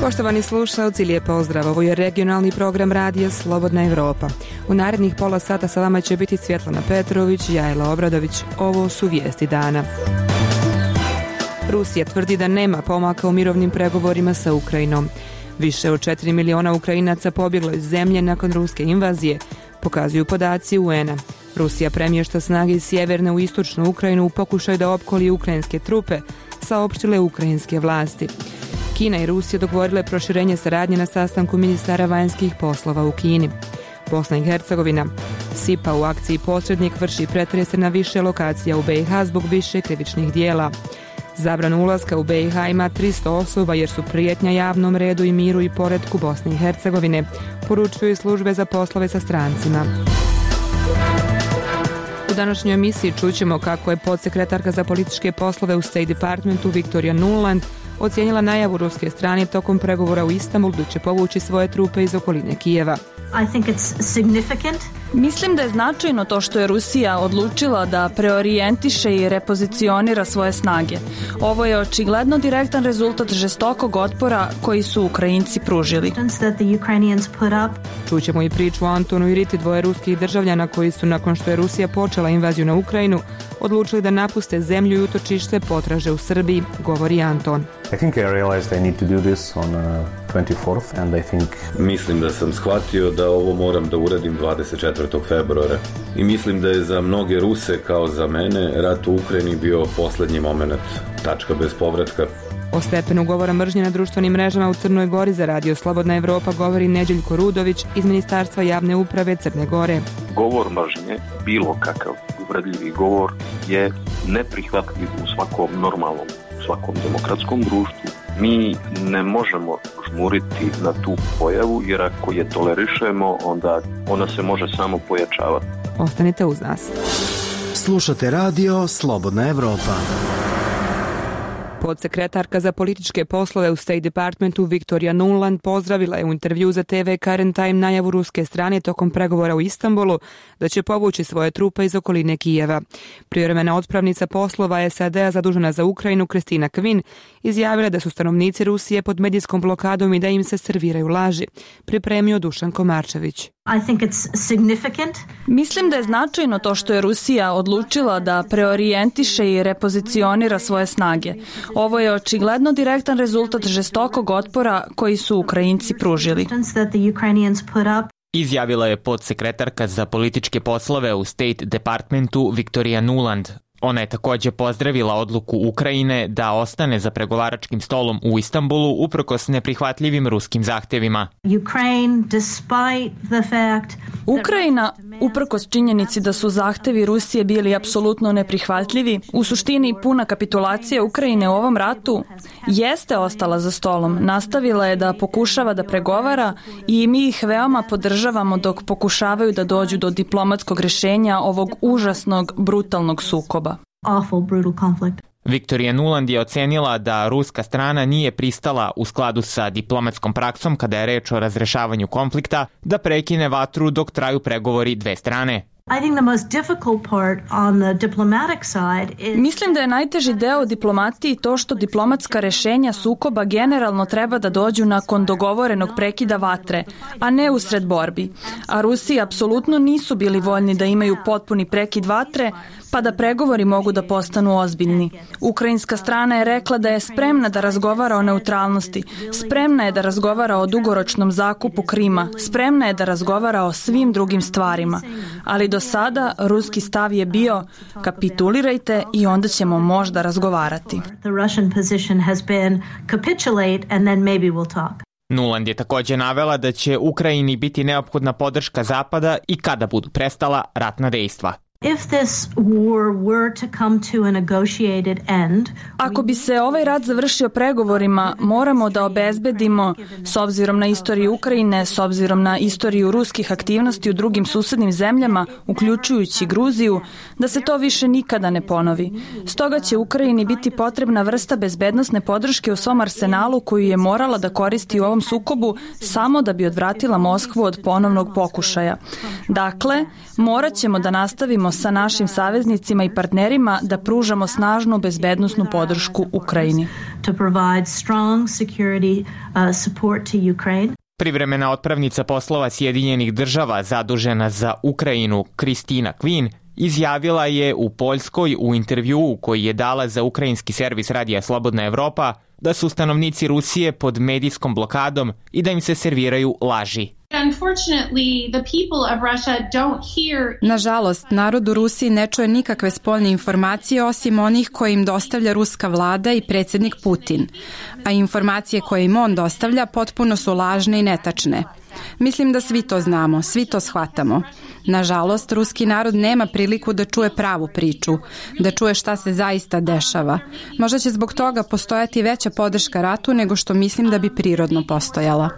Poštovani slušalci, lijep pozdrav. Ovo je regionalni program radija Slobodna Evropa. U narednih pola sata sa vama će biti Svjetlana Petrović, Jajla Obradović. Ovo su vijesti dana. Rusija tvrdi da nema pomaka u mirovnim pregovorima sa Ukrajinom. Više od 4 miliona Ukrajinaca pobjeglo iz zemlje nakon ruske invazije, pokazuju podaci UN-a. Rusija premješta snage iz sjeverne u istočnu Ukrajinu u pokušaju da opkolji ukrajinske trupe, saopštile ukrajinske vlasti. Kina i Rusija dogovorile proširenje saradnje na sastanku ministara vanjskih poslova u Kini. Bosna i Hercegovina. SIPA u akciji Posrednik vrši pretrese na više lokacija u BiH zbog više krivičnih dijela. Zabranu ulaska u BiH ima 300 osoba jer su prijetnja javnom redu i miru i poretku Bosne i Hercegovine, poručuju službe za poslove sa strancima. U današnjoj emisiji čućemo kako je podsekretarka za političke poslove u State Departmentu Victoria Nuland ocijenila najavu ruske strane tokom pregovora u Istanbulu da će povući svoje trupe iz okoline Kijeva. Mislim da je značajno to što je Rusija odlučila da preorijentiše i repozicionira svoje snage. Ovo je očigledno direktan rezultat žestokog otpora koji su Ukrajinci pružili. Čućemo i priču o Antonu i Riti, dvoje ruskih državljana koji su, nakon što je Rusija počela invaziju na Ukrajinu, odlučili da napuste zemlju i utočište potraže u Srbiji, govori Anton. Mislim da sam shvatio da ovo moram da uradim 24. februara i mislim da je za mnoge Ruse kao za mene rat u Ukrajini bio posljednji moment, tačka bez povratka. O stepenu govora mržnje na društvenim mrežama u Crnoj Gori za radio Slobodna Evropa govori Neđeljko Rudović iz Ministarstva javne uprave Crne Gore. Govor mržnje, bilo kakav uvredljivi govor, je neprihvatljiv u svakom normalnom, u svakom demokratskom društvu. Mi ne možemo žmuriti na tu pojavu, jer ako je tolerišemo, onda ona se može samo pojačavati. Ostanite uz nas. Slušate radio Slobodna Evropa. Podsekretarka za političke poslove u State Departmentu Victoria Nuland pozdravila je u intervju za TV Current Time najavu ruske strane tokom pregovora u Istanbulu da će povući svoje trupe iz okoline Kijeva. Privremena otpravnica poslova SAD-a zadužena za Ukrajinu Kristina Kvin izjavila da su stanovnici Rusije pod medijskom blokadom i da im se serviraju laži, pripremio Dušan Komarčević. Mislim da je značajno to što je Rusija odlučila da preorijentiše i repozicionira svoje snage. Ovo je očigledno direktan rezultat žestokog otpora koji su Ukrajinci pružili. Izjavila je podsekretarka za političke poslove u State Departmentu Victoria Nuland. Ona je također pozdravila odluku Ukrajine da ostane za pregovaračkim stolom u Istanbulu uprkos neprihvatljivim ruskim zahtjevima. Ukrajina, uprkos činjenici da su zahtevi Rusije bili apsolutno neprihvatljivi, u suštini puna kapitulacija Ukrajine u ovom ratu, jeste ostala za stolom. Nastavila je da pokušava da pregovara i mi ih veoma podržavamo dok pokušavaju da dođu do diplomatskog rješenja ovog užasnog, brutalnog sukoba. Victoria Nuland je ocenila da ruska strana nije pristala u skladu sa diplomatskom praksom kada je reč o razrešavanju konflikta da prekine vatru dok traju pregovori dve strane. Mislim da je najteži deo diplomatiji to što diplomatska rješenja sukoba generalno treba da dođu nakon dogovorenog prekida vatre, a ne usred borbi. A Rusi apsolutno nisu bili voljni da imaju potpuni prekid vatre, pa da pregovori mogu da postanu ozbiljni. Ukrajinska strana je rekla da je spremna da razgovara o neutralnosti, spremna je da razgovara o dugoročnom zakupu Krima, spremna je da razgovara o svim drugim stvarima. Ali do sada ruski stav je bio kapitulirajte i onda ćemo možda razgovarati. Nuland je također navela da će Ukrajini biti neophodna podrška Zapada i kada budu prestala ratna dejstva. Ako bi se ovaj rat završio pregovorima, moramo da obezbedimo, s obzirom na istoriju Ukrajine, s obzirom na istoriju ruskih aktivnosti u drugim susednim zemljama, uključujući Gruziju, da se to više nikada ne ponovi. Stoga će Ukrajini biti potrebna vrsta bezbednosne podrške u svom arsenalu koju je morala da koristi u ovom sukobu samo da bi odvratila Moskvu od ponovnog pokušaja. Dakle, morat ćemo da nastavimo sarađujemo sa našim saveznicima i partnerima da pružamo snažnu bezbednosnu podršku Ukrajini. Privremena otpravnica poslova Sjedinjenih država zadužena za Ukrajinu Kristina Kvin izjavila je u Poljskoj u intervjuu koji je dala za ukrajinski servis Radija Slobodna Evropa da su stanovnici Rusije pod medijskom blokadom i da im se serviraju laži. Nažalost, narod u Rusiji ne čuje nikakve spoljne informacije osim onih koje im dostavlja ruska vlada i predsjednik Putin, a informacije koje im on dostavlja potpuno su lažne i netačne. Mislim da svi to znamo, svi to shvatamo. Nažalost, ruski narod nema priliku da čuje pravu priču, da čuje šta se zaista dešava. Možda će zbog toga postojati veća podrška ratu nego što mislim da bi prirodno postojala.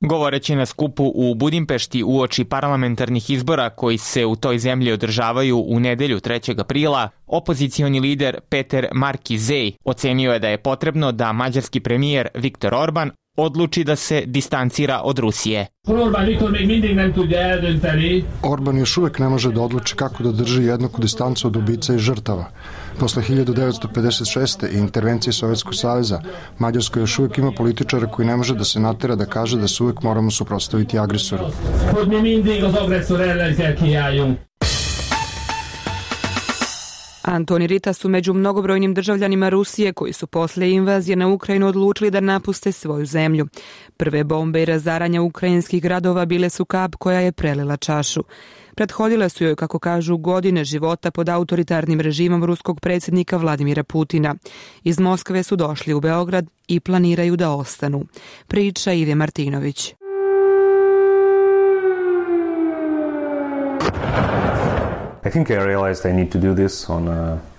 Govoreći na skupu u Budimpešti uoči parlamentarnih izbora koji se u toj zemlji održavaju u nedelju 3. aprila, opozicioni lider Peter Markizej ocenio je da je potrebno da mađarski premijer Viktor Orban odluči da se distancira od Rusije. Orban još uvijek ne može da odluči kako da drži jednaku distancu od ubica i žrtava. Posle 1956. i intervencije Sovjetskog saveza, Mađarska još uvijek ima političara koji ne može da se natera da kaže da se uvijek moramo suprotstaviti agresoru. Antoni Rita su među mnogobrojnim državljanima Rusije koji su posle invazije na Ukrajinu odlučili da napuste svoju zemlju. Prve bombe i razaranja ukrajinskih gradova bile su kap koja je prelila čašu. Prethodile su joj, kako kažu, godine života pod autoritarnim režimom ruskog predsjednika Vladimira Putina. Iz Moskve su došli u Beograd i planiraju da ostanu. Priča Ive Martinović. I think I realized I need to do this on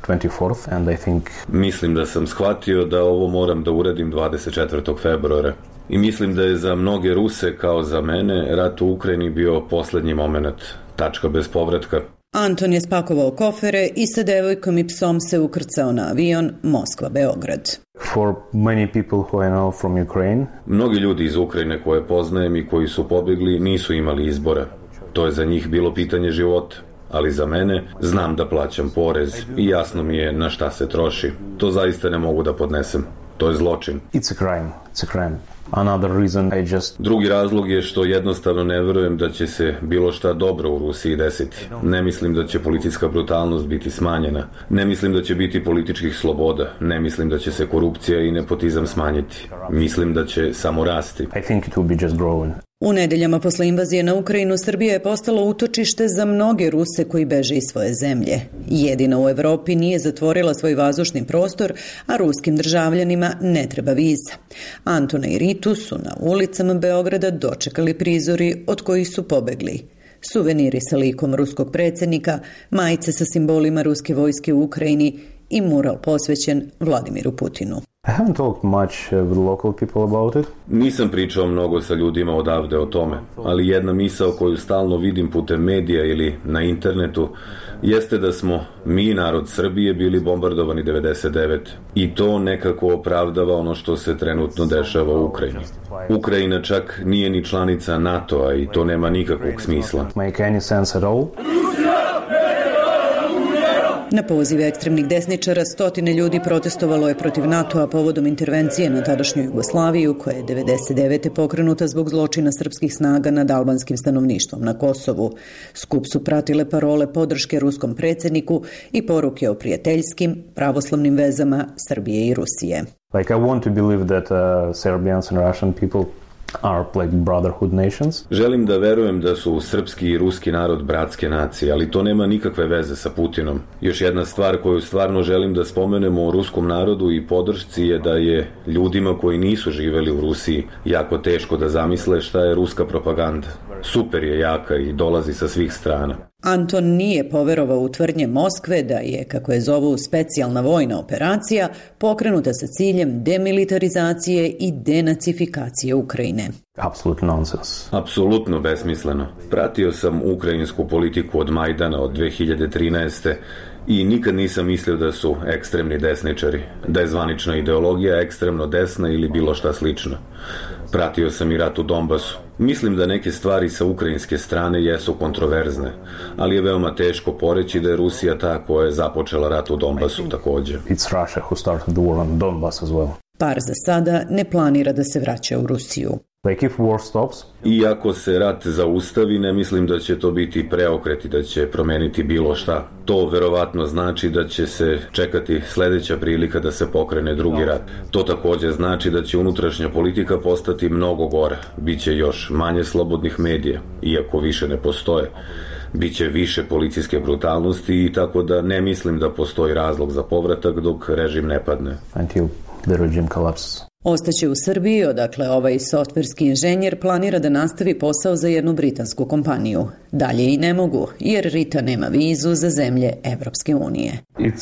24th and I think... Mislim da sam shvatio da ovo moram da uradim 24. februara. I mislim da je za mnoge Ruse, kao za mene, rat u Ukrajini bio posljednji moment, tačka bez povratka. Anton je spakovao kofere i sa devojkom i psom se ukrcao na avion Moskva-Beograd. For many people who I know from Ukraine... Mnogi ljudi iz Ukrajine koje poznajem i koji su pobjegli nisu imali izbora. To je za njih bilo pitanje života. Ali za mene znam da plaćam porez i jasno mi je na šta se troši. To zaista ne mogu da podnesem. To je zločin. It's a crime. It's a crime. Another reason I just... Drugi razlog je što jednostavno ne verujem da će se bilo šta dobro u Rusiji desiti. Ne mislim da će policijska brutalnost biti smanjena. Ne mislim da će biti političkih sloboda. Ne mislim da će se korupcija i nepotizam smanjiti. Mislim da će samo rasti. I think it will be just growing. U nedeljama posle invazije na Ukrajinu, Srbija je postala utočište za mnoge Ruse koji beže iz svoje zemlje. Jedina u Evropi nije zatvorila svoj vazdušni prostor, a ruskim državljanima ne treba viza. Antona i Ritu su na ulicama Beograda dočekali prizori od kojih su pobegli. Suveniri sa likom ruskog predsjednika, majice sa simbolima ruske vojske u Ukrajini i mural posvećen Vladimiru Putinu. I haven't talked much with local people about it. Nisam pričao mnogo sa ljudima odavde o tome, ali jedna misao koju stalno vidim putem medija ili na internetu jeste da smo mi, narod Srbije, bili bombardovani 99 i to nekako opravdava ono što se trenutno dešava u Ukrajini. Ukrajina čak nije ni članica NATO-a i to nema nikakvog smisla. Make any sense at all? Na poziv ekstremnih desničara stotine ljudi protestovalo je protiv NATO-a povodom intervencije na tadašnju Jugoslaviju, koja je 99. pokrenuta zbog zločina srpskih snaga nad albanskim stanovništvom na Kosovu. Skup su pratile parole podrške ruskom predsjedniku i poruke o prijateljskim, pravoslavnim vezama Srbije i Rusije. Like I want to believe that Serbians and Russian people are like brotherhood nations. Želim da verujem da su srpski i ruski narod bratske nacije, ali to nema nikakve veze sa Putinom. Još jedna stvar koju stvarno želim da spomenemo o ruskom narodu i podršci je da je ljudima koji nisu živeli u Rusiji jako teško da zamisle šta je ruska propaganda. Super je jaka i dolazi sa svih strana. Anton nije poverovao u tvrdnje Moskve da je, kako je zovu, specijalna vojna operacija pokrenuta sa ciljem demilitarizacije i denacifikacije Ukrajine. Apsolutno nonsens. Apsolutno besmisleno. Pratio sam ukrajinsku politiku od Majdana od 2013. i nikad nisam mislio da su ekstremni desničari, da je zvanična ideologija ekstremno desna ili bilo šta slično. Pratio sam i rat u Donbasu. Mislim da neke stvari sa ukrajinske strane jesu kontroverzne, ali je veoma teško poreći da je Rusija ta koja je započela rat u Donbasu također. It's Russia who started the war on Donbass as well. Par za sada ne planira da se vraća u Rusiju. Like if war stops. Iako se rat zaustavi, ne mislim da će to biti preokret i da će promeniti bilo šta. To verovatno znači da će se čekati sljedeća prilika da se pokrene drugi rat. To također znači da će unutrašnja politika postati mnogo gora. Biće još manje slobodnih medija, iako više ne postoje. Biće više policijske brutalnosti i tako da ne mislim da postoji razlog za povratak dok režim ne padne. Until the regime collapses. Ostaće u Srbiji, odakle ovaj softverski inženjer planira da nastavi posao za jednu britansku kompaniju. Dalje i ne mogu, jer Rita nema vizu za zemlje Evropske unije. It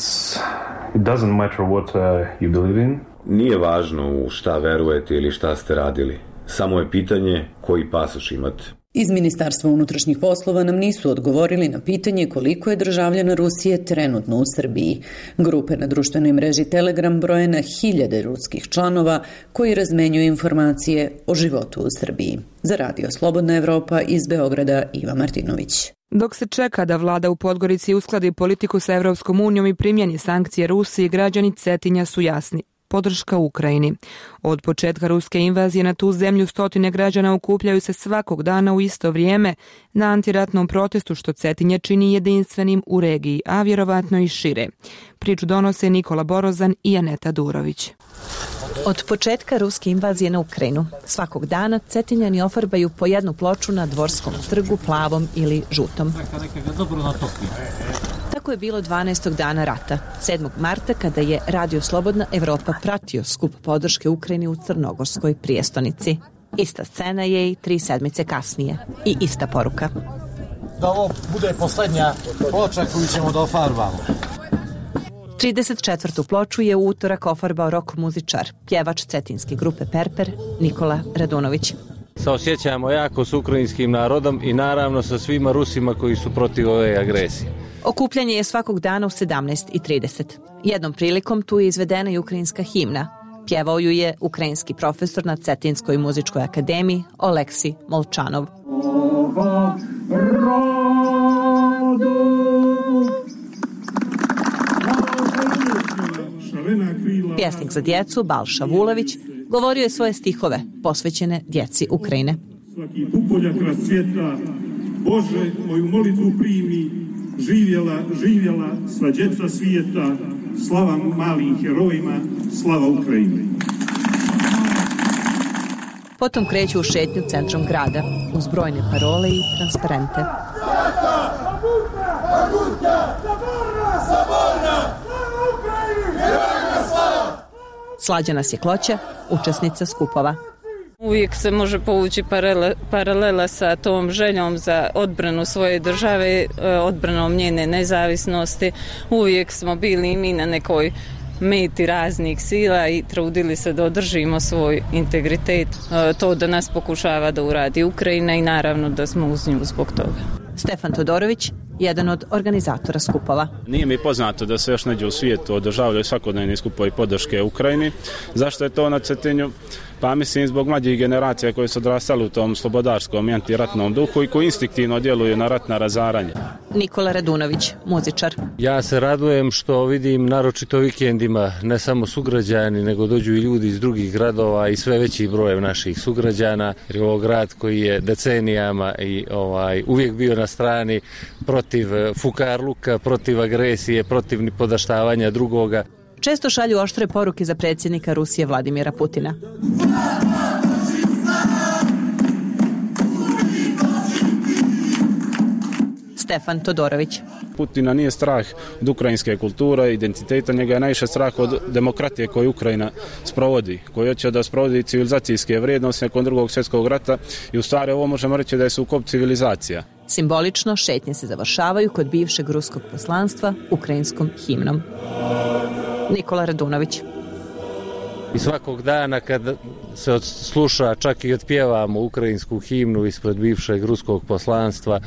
doesn't matter what you believe in. Nije važno u šta verujete ili šta ste radili. Samo je pitanje koji pasoš imate. Iz Ministarstva unutrašnjih poslova nam nisu odgovorili na pitanje koliko je državljana Rusije trenutno u Srbiji. Grupe na društvenoj mreži Telegram broje na hiljade ruskih članova koji razmenjuju informacije o životu u Srbiji. Za Radio Slobodna Evropa iz Beograda Iva Martinović. Dok se čeka da vlada u Podgorici uskladi politiku sa Evropskom unijom i primjeni sankcije Rusiji, građani Cetinja su jasni. Podrška Ukrajini. Od početka ruske invazije na tu zemlju stotine građana okupljaju se svakog dana u isto vrijeme na antiratnom protestu što Cetinje čini jedinstvenim u regiji, a vjerovatno i šire. Priču donose Nikola Borozan i Aneta Durović. Od početka ruske invazije na Ukrajinu svakog dana Cetinjani ofarbaju po jednu ploču na Dvorskom trgu plavom ili žutom. Tako je bilo 12. dana rata, 7. marta, kada je Radio Slobodna Evropa pratio skup podrške Ukrajini u Crnogorskoj prijestonici. Ista scena je i 3 sedmice kasnije. I ista poruka. Da ovo bude posljednja ploča koju ćemo da ofarbamo. 34. ploču je u utorak ofarbao rock muzičar, pjevač cetinske grupe Perper, Nikola Radunović. Saosjećamo jako s ukrajinskim narodom i naravno sa svima Rusima koji su protiv ove agresije. Okupljanje je svakog dana u 17:30. Jednom prilikom tu je izvedena i ukrajinska himna. Pjevao ju je ukrajinski profesor na Cetinskoj muzičkoj akademiji Oleksij Molčanov. Pjesnik za djecu Balša Vulović govorio je svoje stihove posvećene djeci Ukrajine. Svaki pupoljak rasvjeta, Bože, moju molitvu primi, živjela sva djeca svijeta, slava malim herojima, slava Ukrajini. Potom kreću u šetnju centrom grada, uz brojne parole i transparente. Slađana Sjekloća, učesnica skupova. Uvijek se može povući paralela sa tom željom za odbranu svoje države, odbranom njene nezavisnosti. Uvijek smo bili i mi na nekoj meti raznih sila i trudili se da održimo svoj integritet. To da nas pokušava da uradi Ukrajina i naravno da smo uz nju zbog toga. Stefan Todorović, jedan od organizatora skupova. Nije mi poznato da se još negdje u svijetu održavaju svakodnevni skupovi podrške Ukrajini. Zašto je to na Cetinju? Pa mislim zbog mlađih generacija koje su odrastali u tom slobodarskom i antiratnom duhu i koji instinktivno djeluju na ratna razaranja. Nikola Radunović, muzičar. Ja se radujem što vidim naročito vikendima ne samo sugrađani, nego dođu i ljudi iz drugih gradova i sve veći broj naših sugrađana. Jer je ovo grad koji je decenijama i uvijek bio na strani protiv fukarluka, protiv agresije, protiv nipodaštavanja drugoga. Često šalju oštre poruke za predsjednika Rusije Vladimira Putina. Stefan Todorović. Putina nije strah od ukrajinske kulture, identiteta, njega je najviše strah od demokratije koju Ukrajina sprovodi, koji hoće da sprovodi civilizacijske vrijednosti nakon Drugog svjetskog rata i u stvari ovo možemo reći da je sukob civilizacija. Simbolično šetnje se završavaju kod bivšeg ruskog poslanstva ukrajinskom himnom. Nikola Radunović. I svakog dana kad se sluša, čak i otpjevamo ukrajinsku himnu ispred bivšeg ruskog poslanstva,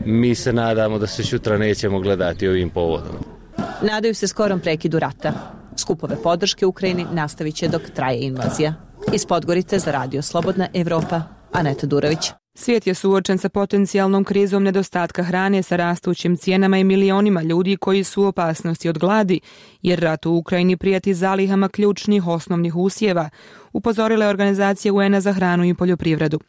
mi se nadamo da se sutra nećemo gledati ovim povodom. Nadaju se skorom prekidu rata. Skupove podrške Ukrajini nastavit će dok traje invazija. Iz Podgorice za Radio Slobodna Evropa, Aneta Durović. Svijet je suočen sa potencijalnom krizom nedostatka hrane, sa rastućim cijenama i milionima ljudi koji su u opasnosti od gladi, jer rat u Ukrajini prijeti zalihama ključnih osnovnih usjeva, upozorila je organizacija UN-a za hranu i poljoprivredu.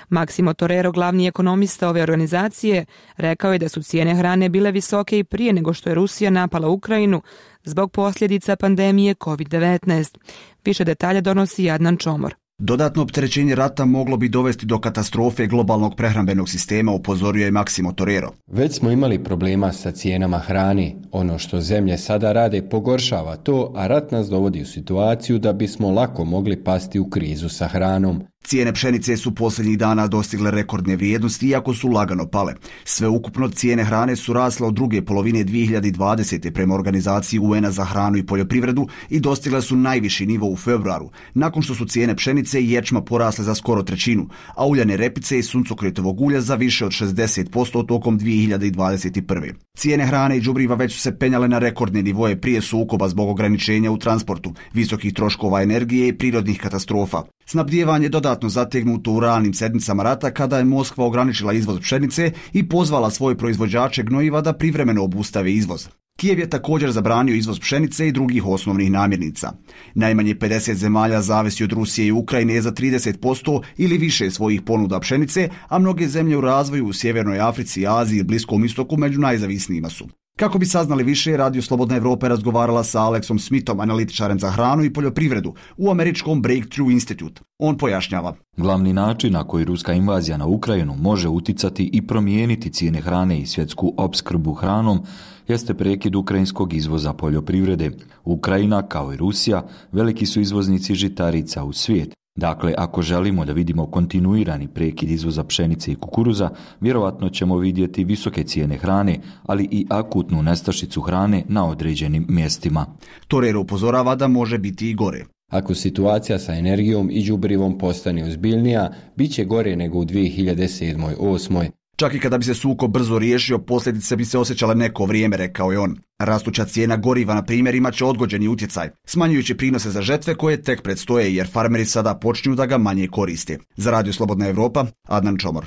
Massimo Torero, glavni ekonomista ove organizacije, rekao je da su cijene hrane bile visoke i prije nego što je Rusija napala Ukrajinu zbog posljedica pandemije COVID-19. Više detalja donosi Adnan Čomor. Dodatno opterećenje rata moglo bi dovesti do katastrofe globalnog prehrambenog sistema, upozorio je Massimo Torero. Već smo imali problema sa cijenama hrane. Ono što zemlje sada rade pogoršava to, a rat nas dovodi u situaciju da bismo lako mogli pasti u krizu sa hranom. Cijene pšenice su posljednjih dana dostigle rekordne vrijednosti, iako su lagano pale. Sveukupno cijene hrane su rasle od druge polovine 2020. prema organizaciji UN-a za hranu i poljoprivredu i dostigle su najviši nivo u februaru, nakon što su cijene pšenice i ječma porasle za skoro trećinu, a uljane repice i suncokretovog ulja za više od 60% tokom 2021. Cijene hrane i đubriva već su se penjale na rekordne nivoje prije sukoba zbog ograničenja u transportu, visokih troškova energije i prirodnih katastrofa. Snabdijevanje dodatno zategnuto u ranim sedmicama rata kada je Moskva ograničila izvoz pšenice i pozvala svoje proizvođače gnojiva da privremeno obustave izvoz. Kijev je također zabranio izvoz pšenice i drugih osnovnih namirnica. Najmanje 50 zemalja zavisi od Rusije i Ukrajine za 30% ili više svojih ponuda pšenice, a mnoge zemlje u razvoju u Sjevernoj Africi, Aziji i Bliskom istoku među najzavisnijima su. Kako bi saznali više, Radio Slobodna Evropa je razgovarala sa Alexom Smithom, analitičarem za hranu i poljoprivredu u američkom Breakthrough Institute. On pojašnjava. Glavni način na koji ruska invazija na Ukrajinu može uticati i promijeniti cijene hrane i svjetsku opskrbu hranom jeste prekid ukrajinskog izvoza poljoprivrede. Ukrajina, kao i Rusija, veliki su izvoznici žitarica u svijet. Dakle, ako želimo da vidimo kontinuirani prekid izvoza pšenice i kukuruza, vjerovatno ćemo vidjeti visoke cijene hrane, ali i akutnu nestašicu hrane na određenim mjestima. Torero upozorava da može biti i gore. Ako situacija sa energijom i đubrivom postane ozbiljnija, bit će gore nego u 2007-2008. Čak i kada bi se sukob brzo riješio, posljedice bi se osjećale neko vrijeme, rekao je on. Rastuća cijena goriva, na primjer, imat će odgođeni utjecaj, smanjujući prinose za žetve koje tek predstoje, jer farmeri sada počinju da ga manje koriste. Za Radio Slobodna Evropa, Adnan Čomor.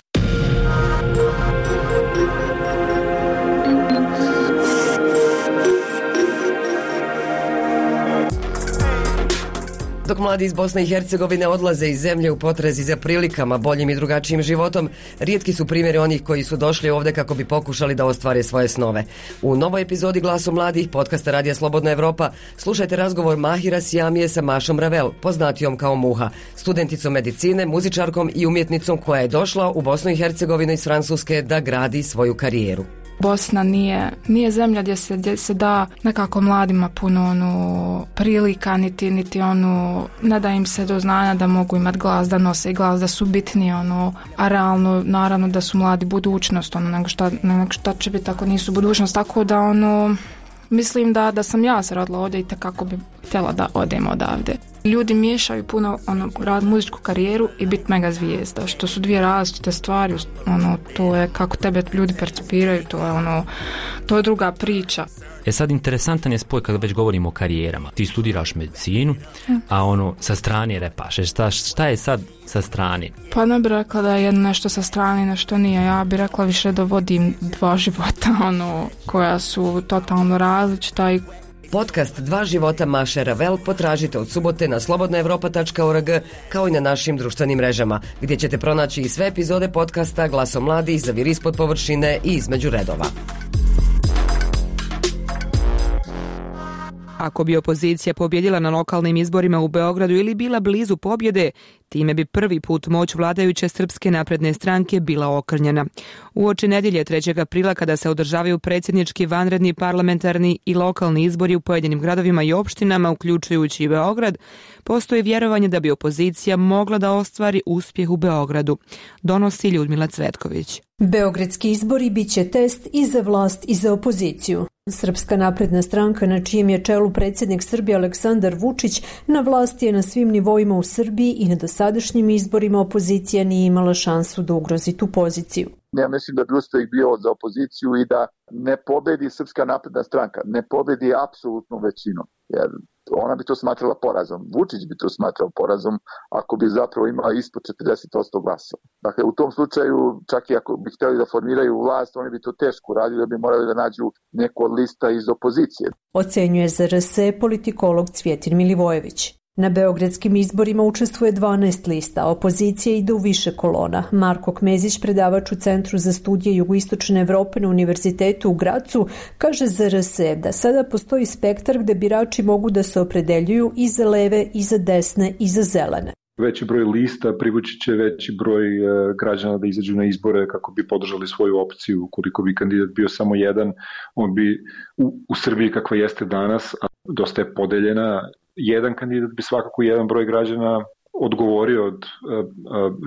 Dok mladi iz Bosne i Hercegovine odlaze iz zemlje u potrazi za prilikama, boljim i drugačijim životom, rijetki su primjeri onih koji su došli ovdje kako bi pokušali da ostvare svoje snove. U novoj epizodi Glasu mladih, podcasta Radija Slobodna Evropa, slušajte razgovor Mahira Sijamije sa Mašom Ravel, poznatijom kao Muha, studenticom medicine, muzičarkom i umjetnicom koja je došla u Bosnu i Hercegovinu iz Francuske da gradi svoju karijeru. Bosna nije zemlja gdje se da nekako mladima puno prilika, niti ne da im se do znanja da mogu imati glas, da nose glas, da su bitni, a realno naravno da su mladi budućnost, nego šta će biti ako nisu budućnost, tako da mislim da sam ja se rodila ovdje i kako bi htjela da odem odavde. Ljudi miješaju puno rad muzičku karijeru i biti mega zvijezda, što su dvije različite stvari, to je kako tebe ljudi percipiraju, to je druga priča. Sad interesantan je spoj kada već govorimo o karijerama. Ti studiraš medicinu, a sa strane repaš. Šta je sad sa strane? Pa ne bih rekla da je nešto sa strane, nešto nije. Ja bih rekla više da vodim dva života, koja su totalno različita i Podcast Dva života Maše Ravel potražite od subote na slobodnaevropa.org kao i na našim društvenim mrežama, gdje ćete pronaći i sve epizode podcasta Glaso mladih, Zaviri ispod površine i Između redova. Ako bi opozicija pobjedila na lokalnim izborima u Beogradu ili bila blizu pobjede, time bi prvi put moć vladajuće Srpske napredne stranke bila okrnjena. Uoči nedjelje 3. aprila, kada se održavaju predsjednički, vanredni, parlamentarni i lokalni izbori u pojedinim gradovima i opštinama, uključujući i Beograd, postoji vjerovanje da bi opozicija mogla da ostvari uspjeh u Beogradu, donosi Ljudmila Cvetković. Beogradski izbori bit će test i za vlast i za opoziciju. Srpska napredna stranka, na čijem je čelu predsjednik Srbije Aleksandar Vučić, na vlasti je na svim nivoima u Srbiji i na dosadašnjim izborima opozicija nije imala šansu da ugrozi tu poziciju. Ja mislim da bi uspeh bio za opoziciju i da ne pobedi Srpska napredna stranka, ne pobedi apsolutnu većinu, jer ona bi to smatrala porazom. Vučić bi to smatrao porazom ako bi zapravo imala ispod 40% glasova. Dakle, u tom slučaju, čak i ako bi htjeli da formiraju vlast, oni bi to teško radili, da bi morali da nađu neku od lista iz opozicije. Ocenjuje za RS politikolog Cvjetin Milivojević. Na beogradskim izborima učestvuje 12 lista, opozicija ide u više kolona. Marko Kmezić, predavač u Centru za studije Jugoistočne Evrope na Univerzitetu u Gracu, kaže za RS da sada postoji spektar gde birači mogu da se opredeljuju i za leve, i za desne, i za zelene. Veći broj lista privući će veći broj građana da izađu na izbore kako bi podržali svoju opciju. Ukoliko bi kandidat bio samo jedan, on bi u Srbiji kakva jeste danas, a dosta je podeljena, jedan kandidat bi svakako jedan broj građana odgovorio od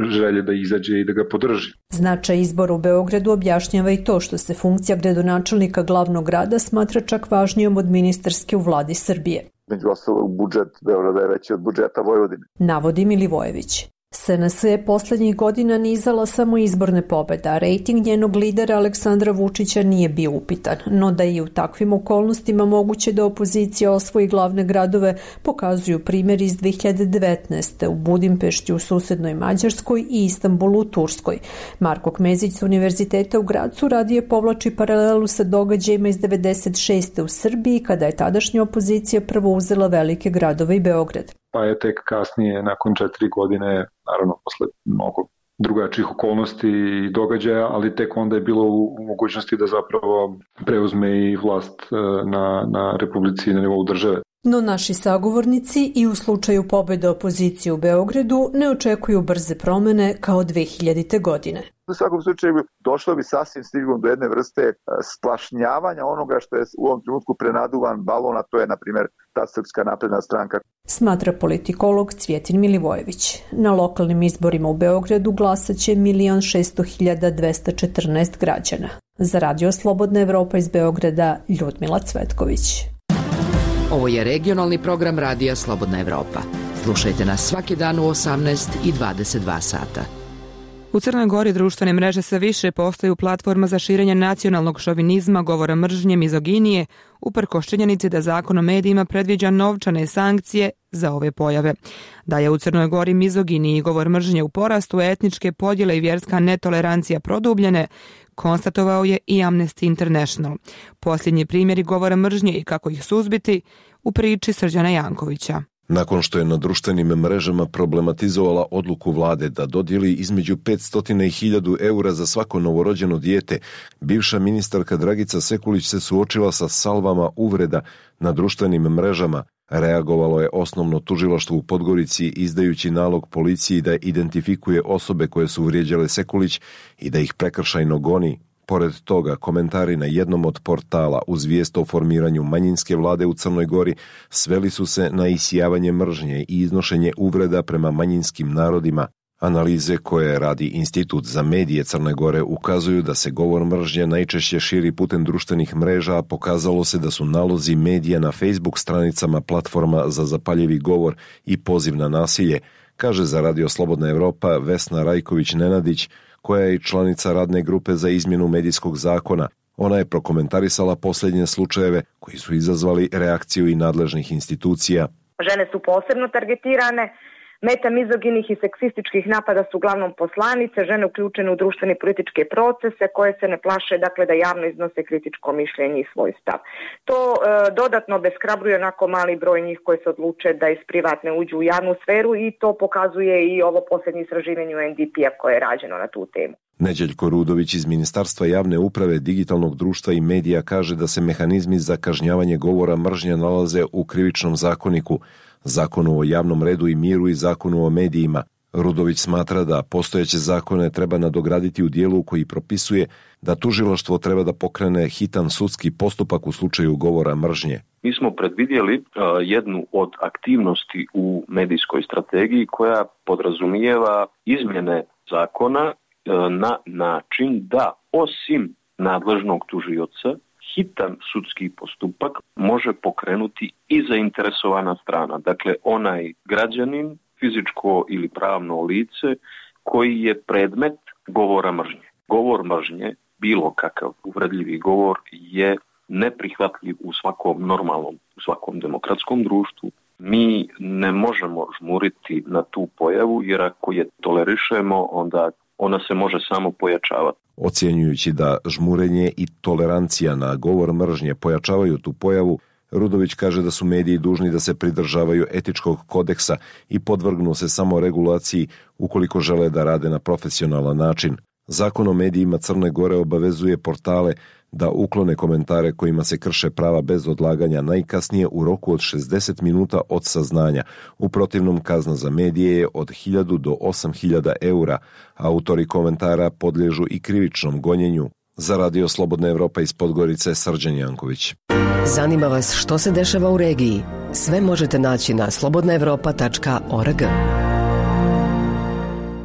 želje da izađe i da ga podrži. Značaj izbora u Beogradu objašnjava i to što se funkcija gradonačelnika glavnog grada smatra čak važnijom od ministarske u vladi Srbije. Među ostalog, budžet Beograda je veći od budžeta Vojvodine. Navodi Milivojević. SNS je poslednjih godina nizala samo izborne pobjede, a rejting njenog lidera Aleksandra Vučića nije bio upitan. No da je u takvim okolnostima moguće da opozicija osvoji glavne gradove, pokazuju primjer iz 2019. u Budimpešti u susednoj Mađarskoj i Istanbulu u Turskoj. Marko Kmezić sa Univerziteta u Gracu radije povlači paralelu sa događajima iz 96. u Srbiji, kada je tadašnja opozicija prvo uzela velike gradove i Beograd. Pa je tek kasnije, nakon 4 godine, naravno posle mnogo drugačijih okolnosti i događaja, ali tek onda je bilo u mogućnosti da zapravo preuzme i vlast na Republici i na nivou države. No naši sagovornici i u slučaju pobjede opozicije u Beogradu ne očekuju brze promene kao 2000. godine. U svakom slučaju došlo bi sasvim sigurno do jedne vrste splašnjavanja onoga što je u ovom trenutku prenaduvan balon, a to je, na primjer, ta Srpska napredna stranka. Smatra politikolog Cvjetin Milivojević. Na lokalnim izborima u Beogradu glasaće 1.600.214 građana. Za Radio Slobodna Evropa iz Beograda, Ljudmila Cvetković. Ovo je regionalni program Radija Slobodna Evropa. Slušajte nas svaki dan u 18 i 22 sata. U Crnoj Gori društvene mreže sve više postaju platforma za širenje nacionalnog šovinizma, govora mržnje, mizoginije, uprkos činjenici da Zakon o medijima predviđa novčane sankcije za ove pojave. Da je u Crnoj Gori mizoginiji i govor mržnje u porastu, etničke podjele i vjerska netolerancija produbljene, konstatovao je i Amnesty International. Posljednji primjeri govora mržnje i kako ih suzbiti u priči Srđana Jankovića. Nakon što je na društvenim mrežama problematizovala odluku vlade da dodijeli između 500 i 1000 eura za svako novorođeno dijete, bivša ministarka Dragica Sekulić se suočila sa salvama uvreda na društvenim mrežama. Reagovalo je osnovno tužilaštvo u Podgorici izdajući nalog policiji da identifikuje osobe koje su vrijeđale Sekulić i da ih prekršajno goni. Pored toga, komentari na jednom od portala uz vijest o formiranju manjinske vlade u Crnoj Gori sveli su se na isijavanje mržnje i iznošenje uvreda prema manjinskim narodima. Analize koje radi Institut za medije Crne Gore ukazuju da se govor mržnje najčešće širi putem društvenih mreža, a pokazalo se da su nalozi medija na Facebook stranicama platforma za zapaljivi govor i poziv na nasilje, kaže za Radio Slobodna Evropa Vesna Rajković-Nenadić, koja je i članica radne grupe za izmjenu medijskog zakona. Ona je prokomentarisala posljednje slučajeve koji su izazvali reakciju i nadležnih institucija. Žene su posebno targetirane, meta mizoginih i seksističkih napada su uglavnom poslanice, žene uključene u društvene i političke procese koje se ne plaše da javno iznose kritičko mišljenje i svoj stav. To dodatno obeshrabruje onako mali broj njih koji se odluče da iz privatne uđu u javnu sferu i to pokazuje i ovo posljednje istraživanje UNDP-a koje je rađeno na tu temu. Neđeljko Rudović iz Ministarstva javne uprave, digitalnog društva i medija kaže da se mehanizmi za kažnjavanje govora mržnje nalaze u Krivičnom zakoniku, Zakonu o javnom redu i miru i Zakonu o medijima. Rudović smatra da postojeće zakone treba nadograditi u dijelu koji propisuje da tužilaštvo treba da pokrene hitan sudski postupak u slučaju govora mržnje. Mi smo predvidjeli jednu od aktivnosti u medijskoj strategiji koja podrazumijeva izmjene zakona na način da osim nadležnog tužioca hitan sudski postupak može pokrenuti i zainteresovana strana. Dakle, onaj građanin, fizičko ili pravno lice koji je predmet govora mržnje. govor mržnje, bilo kakav uvredljivi govor je neprihvatljiv u svakom normalnom, u svakom demokratskom društvu. Mi ne možemo žmuriti na tu pojavu, jer ako je tolerišemo, onda ona se može samo pojačavati. Ocjenjujući da žmurenje i tolerancija na govor mržnje pojačavaju tu pojavu, Rudović kaže da su mediji dužni da se pridržavaju etičkog kodeksa i podvrgnu se samo regulaciji ukoliko žele da rade na profesionalan način. Zakon o medijima Crne Gore obavezuje portale da uklone komentare kojima se krše prava bez odlaganja najkasnije u roku od 60 minuta od saznanja. U protivnom kazna za medije je od 1000 do 8000 eura. Autori komentara podliježu i krivičnom gonjenju. Za Radio Slobodna Evropa iz Podgorice, Srđan Janković. Zanima vas što se dešava u regiji? Sve možete naći na slobodnaevropa.org.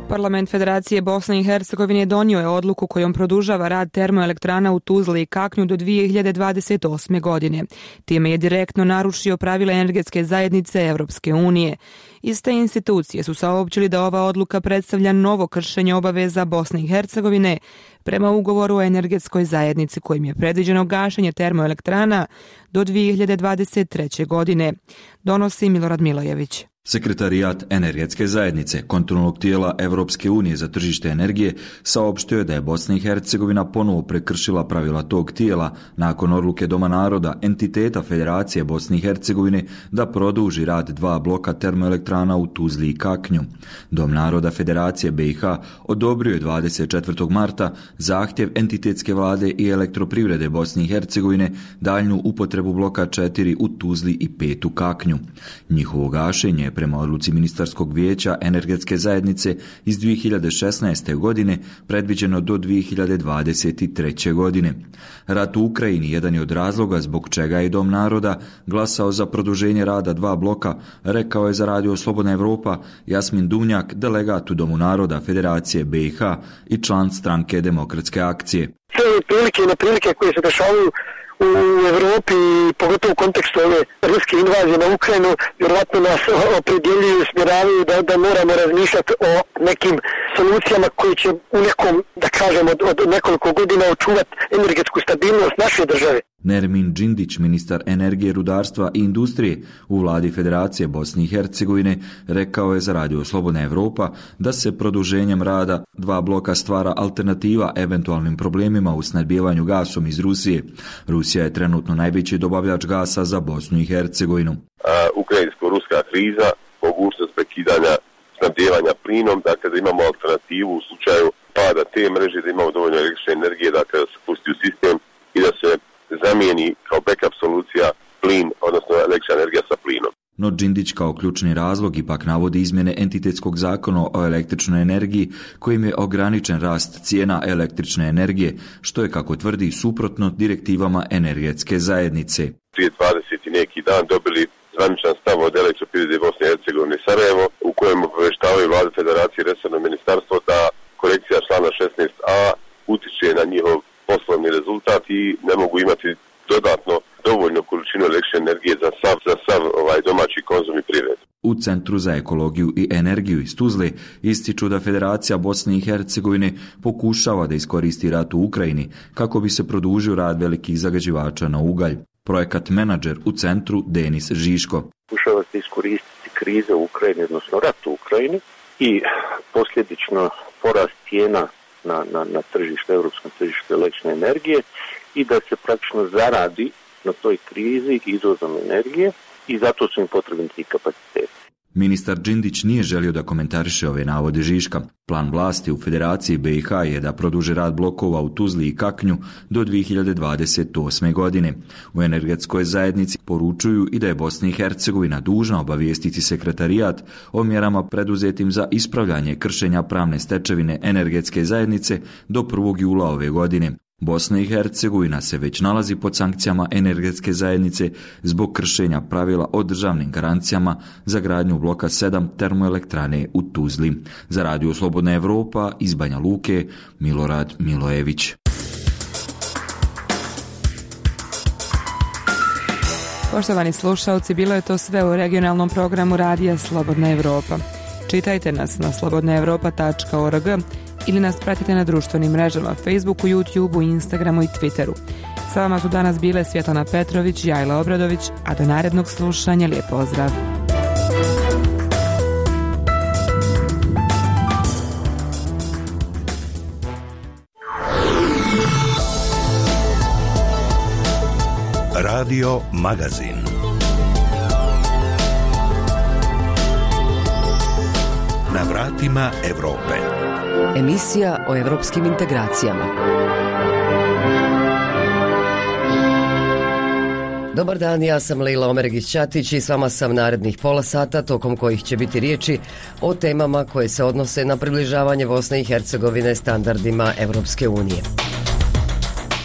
Parlament Federacije Bosne i Hercegovine donio je odluku kojom produžava rad termoelektrana u Tuzli i Kaknju do 2028. godine. Time je direktno narušio pravila energetske zajednice Evropske unije. Iste institucije su saopćili da ova odluka predstavlja novo kršenje obaveza Bosne i Hercegovine prema ugovoru o energetskoj zajednici kojim je predviđeno gašenje termoelektrana do 2023. godine. Donosi Milorad Milojević. Sekretarijat energetske zajednice, kontrolnog tijela Evropske unije za tržište energije, saopštio je da je Bosna i Hercegovina ponovo prekršila pravila tog tijela nakon odluke Doma naroda, entiteta Federacije Bosne i Hercegovine, da produži rad 2 bloka termoelektrana u Tuzli i Kaknju. Dom naroda Federacije BiH odobrio je 24. marta zahtjev entitetske vlade i elektroprivrede Bosne i Hercegovine daljnju upotrebu bloka 4 u Tuzli i 5 u Kaknju. Njihovo gašenje prema odluci Ministarskog vijeća energetske zajednice iz 2016. godine predviđeno do 2023. godine. Rat u Ukrajini jedan je od razloga zbog čega je Dom naroda glasao za produženje rada 2 bloka, rekao je za Radio Slobodna Evropa Jasmin Duvnjak, delegat u Domu naroda Federacije BiH i član stranke Demokratske akcije. Sve prilike i neprilike koje se dešavaju u Evropi, pogotovo u kontekstu ove ruske invazije na Ukrajinu, vjerojatno nas opredjeljuju i smjeravaju da moramo razmišljati o nekim solucijama koji će u nekom, da kažem, od nekoliko godina očuvati energetsku stabilnost naše države. Nermin Džindić, ministar energije, rudarstva i industrije u vladi Federacije Bosne i Hercegovine, rekao je za Radio Slobodna Evropa da se produženjem rada 2 bloka stvara alternativa eventualnim problemima u snabdijevanju gasom iz Rusije. Rusija je trenutno najveći dobavljač gasa za Bosnu i Hercegovinu. Ukrajinsko-ruska kriza, mogućnost prekidanja snabdijevanja plinom, dakle da imamo alternativu u slučaju pada te mreže, da imamo dovoljno električne energije, dakle da se pusti u sistem i da se zamijeni kao backup solucija plin, odnosno električna energija sa plinom. No Džindić kao ključni razlog ipak navodi izmjene entitetskog zakona o električnoj energiji kojim je ograničen rast cijena električne energije, što je, kako tvrdi, suprotno direktivama energetske zajednice. Prije 20 i neki dan dobili zvaničan stav od Elektroprivrede Bosne i Hercegovine Sarajevo, u kojem obavještavaju Vlada Federacije i resorno ministarstvo da korekcija člana 16a utiče na njihov poslovni rezultat i ne mogu imati dodatno dovoljnu količinu električne energije za sav domaći konzum i privredu. U Centru za ekologiju i energiju iz Tuzle ističu da Federacija Bosne i Hercegovine pokušava da iskoristi rat u Ukrajini kako bi se produžio rad velikih zagađivača na ugalj. Projekat menadžer u centru Denis Žiško. Pokušava se iskoristiti kriza u Ukrajini, odnosno rat u Ukrajini i posljedično porast cijena na tržište, europskom tržištu električne energije i da se praktično zaradi na toj krizi izvozom energije i zato su im potrebni ti kapaciteti. Ministar Džindić nije želio da komentariše ove navode Žiška. Plan vlasti u Federaciji BiH je da produže rad blokova u Tuzli i Kaknju do 2028. godine. U energetskoj zajednici poručuju i da je Bosna i Hercegovina dužna obavijestiti sekretarijat o mjerama preduzetim za ispravljanje kršenja pravne stečevine energetske zajednice do 1. jula ove godine. Bosna i Hercegovina se već nalazi pod sankcijama energetske zajednice zbog kršenja pravila o državnim garancijama za gradnju bloka 7 termoelektrane u Tuzli. Za Radio Slobodna Evropa iz Banja Luke, Milorad Milojević. Poštovani slušalci, bilo je to sve u regionalnom programu Radija Slobodna Evropa. Čitajte nas na slobodnaevropa.org, ili nas pratite na društvenim mrežama Facebooku, YouTubeu, Instagramu i Twitteru. Sa vama su danas bile Svjetlana Petrović, Jajla Obradović, a do narednog slušanja lijep pozdrav. Radio Magazin. Na vratima Evrope. Emisija o evropskim integracijama. Dobar dan, ja sam Lejla Omeregić-Ćatić i s vama sam narednih pola sata, tokom kojih će biti riječi o temama koje se odnose na približavanje Bosne i Hercegovine standardima Evropske unije.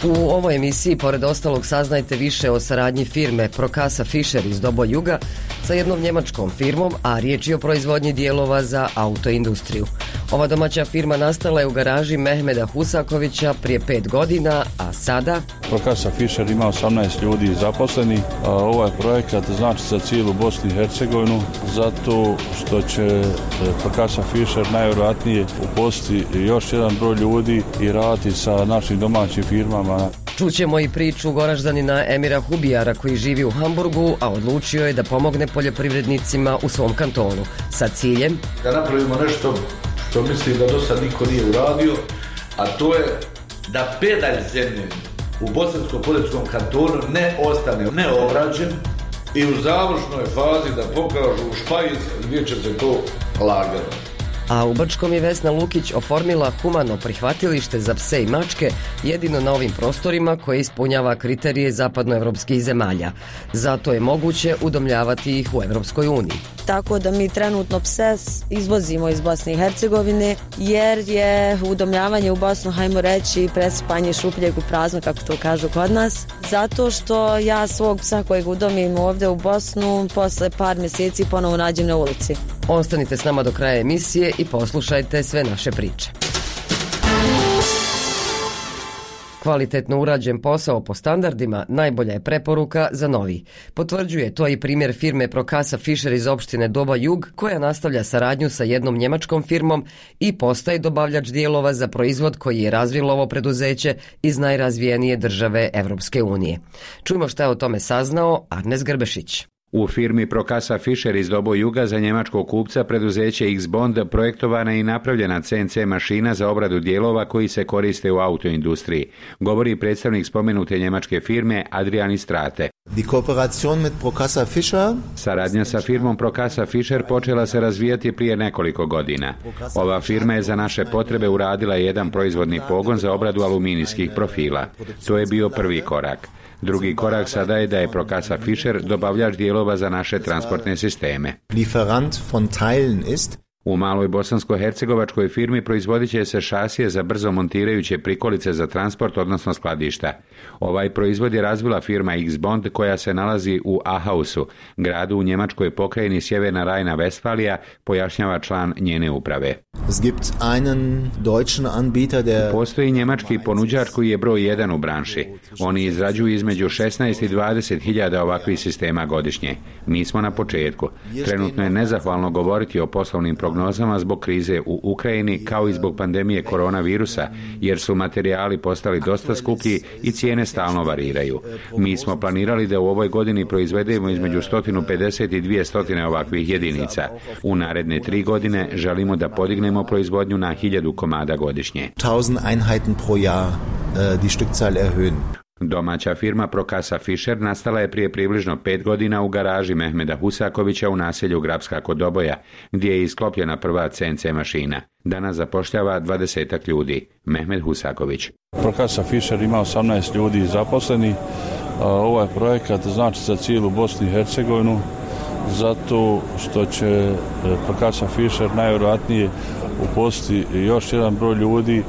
U ovoj emisiji, pored ostalog, saznajte više o saradnji firme Prokasa Fischer iz Dobo Juga sa jednom njemačkom firmom, a riječ je o proizvodnji dijelova za autoindustriju. Ova domaća firma nastala je u garaži Mehmeda Husakovića prije 5 godina, a sada... Prokasa Fischer ima 18 ljudi zaposlenih. Ovaj projekat znači za cijelu Bosnu i Hercegovinu, zato što će Prokasa Fischer najvjerojatnije uposliti još jedan broj ljudi i raditi sa našim domaćim firmama. Čućemo i priču Goraždanina Emira Hubijara koji živi u Hamburgu, a odlučio je da pomogne poljoprivrednicima u svom kantonu sa ciljem da napravimo nešto što mislim da do sad niko nije uradio, a to je da pedalj zemlje u Bosansko-Poljskom kantonu ne ostane neobrađen i u završnoj fazi da pokažu u špajic gdje će se to lagati. A u Brčkom je Vesna Lukić oformila humano prihvatilište za pse i mačke, jedino na ovim prostorima koje ispunjava kriterije zapadnoevropskih zemalja. Zato je moguće udomljavati ih u Evropskoj uniji. Tako da mi trenutno pse izvozimo iz Bosne i Hercegovine, jer je udomljavanje u Bosnu, hajmo reći, presipanje šupljeg u prazno, kako to kažu kod nas. Zato što ja svog psa kojeg udomim ovdje u Bosnu, posle par mjeseci ponovo nađem na ulici. Ostanite s nama do kraja emisije i poslušajte sve naše priče. Kvalitetno urađen posao po standardima najbolja je preporuka za novi. Potvrđuje to i primjer firme Prokasa Fischer iz opštine Doba Jug, koja nastavlja saradnju sa jednom njemačkom firmom i postaje dobavljač dijelova za proizvod koji je razvilo ovo preduzeće iz najrazvijenije države Evropske unije. Čujmo šta je o tome saznao Arnes Grbešić. U firmi Prokasa Fischer iz Dobo Juga za njemačkog kupca preduzeće X-Bond projektovana i napravljena CNC mašina za obradu dijelova koji se koriste u autoindustriji, govori predstavnik spomenute njemačke firme Adrian Istrate. Saradnja sa firmom Prokasa Fischer počela se razvijati prije nekoliko godina. Ova firma je za naše potrebe uradila jedan proizvodni pogon za obradu aluminijskih profila. To je bio prvi korak. Drugi korak sada je da je Prokasa Fischer dobavljač dijelova za naše transportne sisteme. U maloj bosansko-hercegovačkoj firmi proizvodit će se šasije za brzo montirajuće prikolice za transport, odnosno skladišta. Ovaj proizvod je razvila firma X-Bond koja se nalazi u Ahausu, gradu u njemačkoj pokrajini Sjeverna Rajna-Vestfalija, pojašnjava član njene uprave. Postoji njemački ponuđač koji je broj 1 u branši. Oni izrađuju između 16 i 20 hiljada ovakvih sistema godišnje. Mi smo na početku. Trenutno je nezahvalno govoriti o poslovnim prognozama zbog krize u Ukrajini kao i zbog pandemije koronavirusa, jer su materijali postali dosta skuplji i cijene stalno variraju. Mi smo planirali da u ovoj godini proizvedemo između 150 i 200 ovakvih jedinica. U naredne 3 godine želimo da podignemo proizvodnju na 1000 komada godišnje. 1000 Einheiten pro Jahr die Stückzahl erhöhen. Domaća firma Prokasa Fischer nastala je prije približno 5 godina u garaži Mehmeda Husakovića u naselju Grabska kod Doboja, gdje je isklopljena prva CNC mašina. Danas zapošljava 20 ljudi. Mehmed Husaković. Prokasa Fischer ima 18 ljudi zaposlenih. Ovaj projekat znači za cijelu Bosnu i Hercegovinu, zato što će Prokasa Fischer najvjerojatnije uposliti još jedan broj ljudi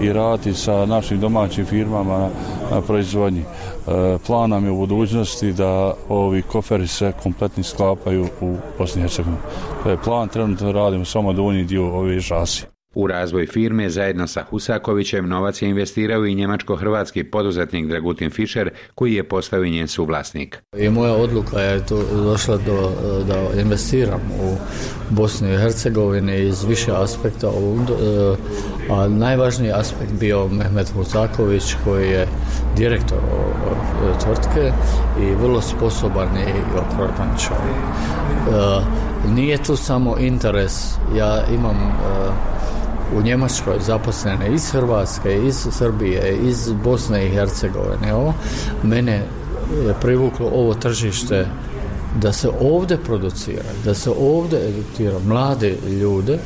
i raditi sa našim domaćim firmama na proizvodnji. Plan nam je u budućnosti da ovi koferi se kompletni sklapaju u Bosni i Hercegovini. To je plan, trenutno radimo samo donji dio ove šasije. U razvoj firme zajedno sa Husakovićem novac je investirao i njemačko-hrvatski poduzetnik Dragutin Fischer, koji je postao i njen suvlasnik. I moja odluka je to došla da investiram u Bosnu i Hercegovini iz više aspekta, a najvažniji aspekt bio Mehmet Husaković, koji je direktor tvrtke i vrlo sposoban i opravdan čovjek. Nije tu samo interes, ja imam u Njemačkoj zaposlene iz Hrvatske, iz Srbije, iz Bosne i Hercegovine. Mene je privuklo ovo tržište da se ovdje producira, da se ovdje edukira mlade ljude,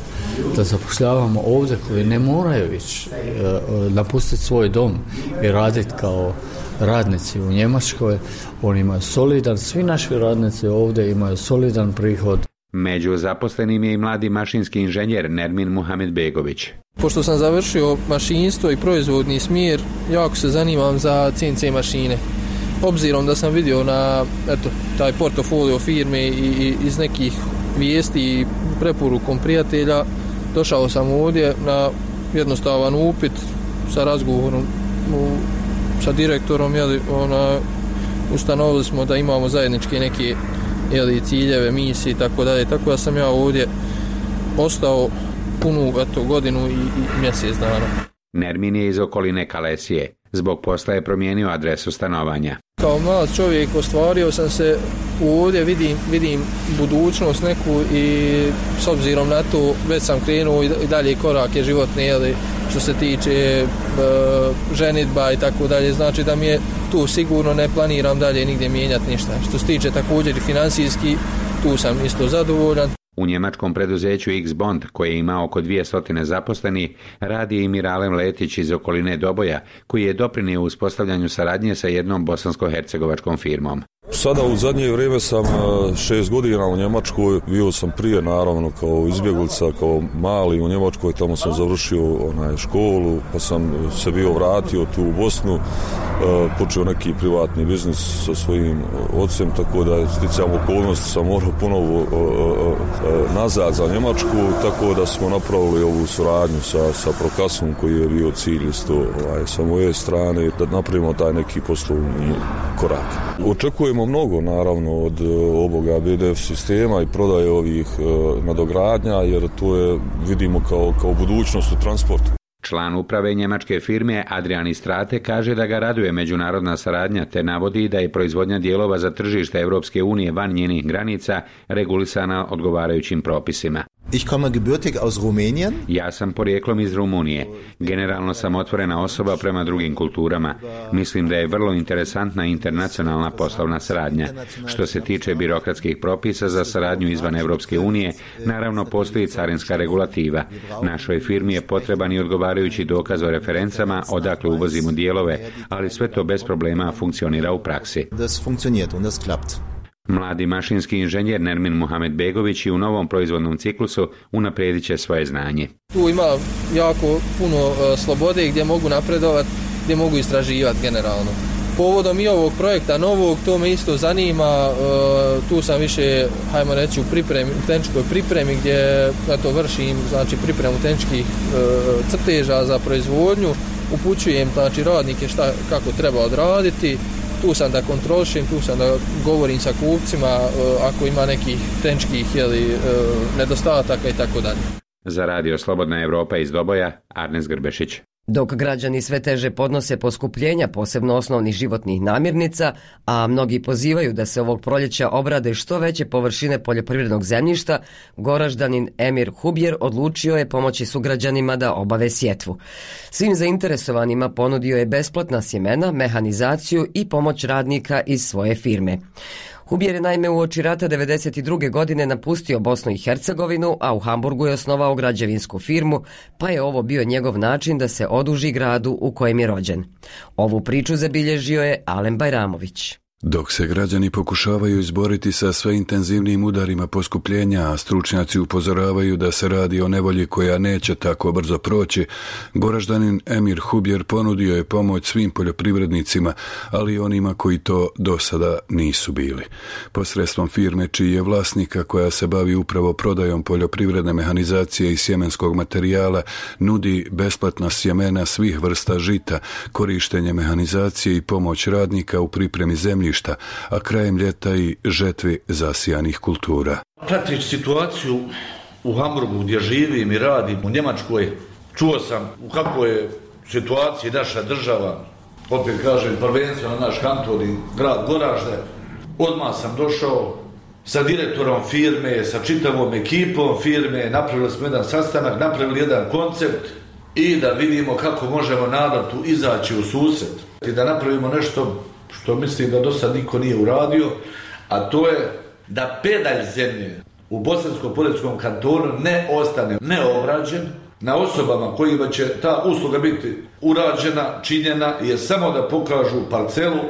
da zapošljavamo ovdje koji ne moraju ići napustiti svoj dom i raditi kao radnici u Njemačkoj. Oni imaju solidan, svi naši radnici ovdje imaju solidan prihod. Među zaposlenim je i mladi mašinski inženjer Nermin Muhamedbegović. Pošto sam završio mašinstvo i proizvodni smjer, jako se zanimam za CNC mašine. Obzirom da sam vidio na taj portofolio firme i iz nekih vijesti i preporukom prijatelja, došao sam ovdje na jednostavan upit sa razgovorom sa direktorom, ustanovili smo da imamo zajedničke neke ciljeve, misije i tako dalje, tako da sam ja ovdje ostao punu godinu i mjesec dana. Nermin je iz okoline Kalesije. Zbog posla je promijenio adresu stanovanja. Kao mlad čovjek ostvario sam se ovdje, vidim budućnost neku i s obzirom na to već sam krenuo i dalje korake životne, što se tiče ženidba i tako dalje, znači da mi je tu sigurno, ne planiram dalje nigdje mijenjati ništa. Što se tiče također i financijski, tu sam isto zadovoljan. U njemačkom preduzeću X-Bond, koje ima oko 200 zaposlenih, radi i Miralem Letić iz okoline Doboja, koji je doprinio uspostavljanju saradnje sa jednom bosansko-hercegovačkom firmom. Sada u zadnje vrijeme sam 6 godina u Njemačkoj, bio sam prije naravno kao izbjeglica, kao mali u Njemačkoj, tamo sam završio školu, pa sam se bio vratio tu u Bosnu, počeo neki privatni biznis sa svojim ocem, tako da sticajem okolnosti sam morao ponovo nazad za Njemačku, tako da smo napravili ovu suradnju sa Prokasom, koji je bio cilj isto sa moje strane, da napravimo taj neki poslovni korak. Očekujemo mnogo naravno od ovoga BDF sistema i prodaje ovih nadogradnja, jer to je, vidimo kao budućnost u transportu. Član uprave njemačke firme Adrian Istrate kaže da ga raduje međunarodna saradnja, te navodi da je proizvodnja dijelova za tržište Europske unije van njenih granica regulisana odgovarajućim propisima. Ich komme gebürtig aus Rumänien. Ja sam porijeklom iz Rumunije. Generalno sam otvorena osoba prema drugim kulturama. Mislim da je vrlo interesantna internacionalna poslovna saradnja. Što se tiče birokratskih propisa za saradnju izvan Europske unije, naravno postoji carinska regulativa. Našoj firmi je potreban i odgovarajući dokaz o referencama odakle uvozimo dijelove, ali sve to bez problema funkcionira u praksi. Das funktioniert und das klappt. Mladi mašinski inženjer Nermin Muhamedbegović i u novom proizvodnom ciklusu unaprijedit će svoje znanje. Tu ima jako puno slobode gdje mogu napredovati, gdje mogu istraživati generalno. Povodom i ovog projekta novog, to me isto zanima, tu sam više, hajmo reći, u tehničkoj pripremi gdje vršim pripremu tehničkih crteža za proizvodnju, upućujem radnike kako treba odraditi. Tu sam da kontrolišem, tu sam da govorim sa kupcima ako ima nekih tehničkih nedostataka i tako dalje. Za Radio Slobodna Evropa iz Doboja, Arnes Grbešić. Dok građani sve teže podnose poskupljenja, posebno osnovnih životnih namirnica, a mnogi pozivaju da se ovog proljeća obrade što veće površine poljoprivrednog zemljišta, Goraždanin Emir Hubjer odlučio je pomoći sugrađanima da obave sjetvu. Svim zainteresovanima ponudio je besplatna sjemena, mehanizaciju i pomoć radnika iz svoje firme. Hubjer je naime uoči rata 1992. godine napustio Bosnu i Hercegovinu, a u Hamburgu je osnovao građevinsku firmu, pa je ovo bio njegov način da se oduži gradu u kojem je rođen. Ovu priču zabilježio je Alen Bajramović. Dok se građani pokušavaju izboriti sa sve intenzivnijim udarima poskupljenja, a stručnjaci upozoravaju da se radi o nevolji koja neće tako brzo proći, Goraždanin Emir Hubjer ponudio je pomoć svim poljoprivrednicima, ali i onima koji to do sada nisu bili. Posredstvom firme čiji je vlasnika, koja se bavi upravo prodajom poljoprivredne mehanizacije i sjemenskog materijala, nudi besplatna sjemena svih vrsta žita, korištenje mehanizacije i pomoć radnika u pripremi zemlji, a krajem ljeta i žetvi zasijanih kultura. Pratići situaciju u Hamburgu gdje živim i radim, u Njemačkoj, čuo sam u kakvoj je situaciji naša država, opet kažem prvenstveno naš kanton i grad Goražde. Odmah sam došao sa direktorom firme, sa čitavom ekipom firme, napravili smo jedan sastanak, napravili jedan koncept i da vidimo kako možemo narodu izaći u susret i da napravimo nešto što mislim da do sad niko nije uradio, a to je da pedalj zemlje u Bosansko-Poljskom kantonu ne ostane neobrađen, na osobama kojima će ta usluga biti urađena, činjena, je samo da pokažu parcelu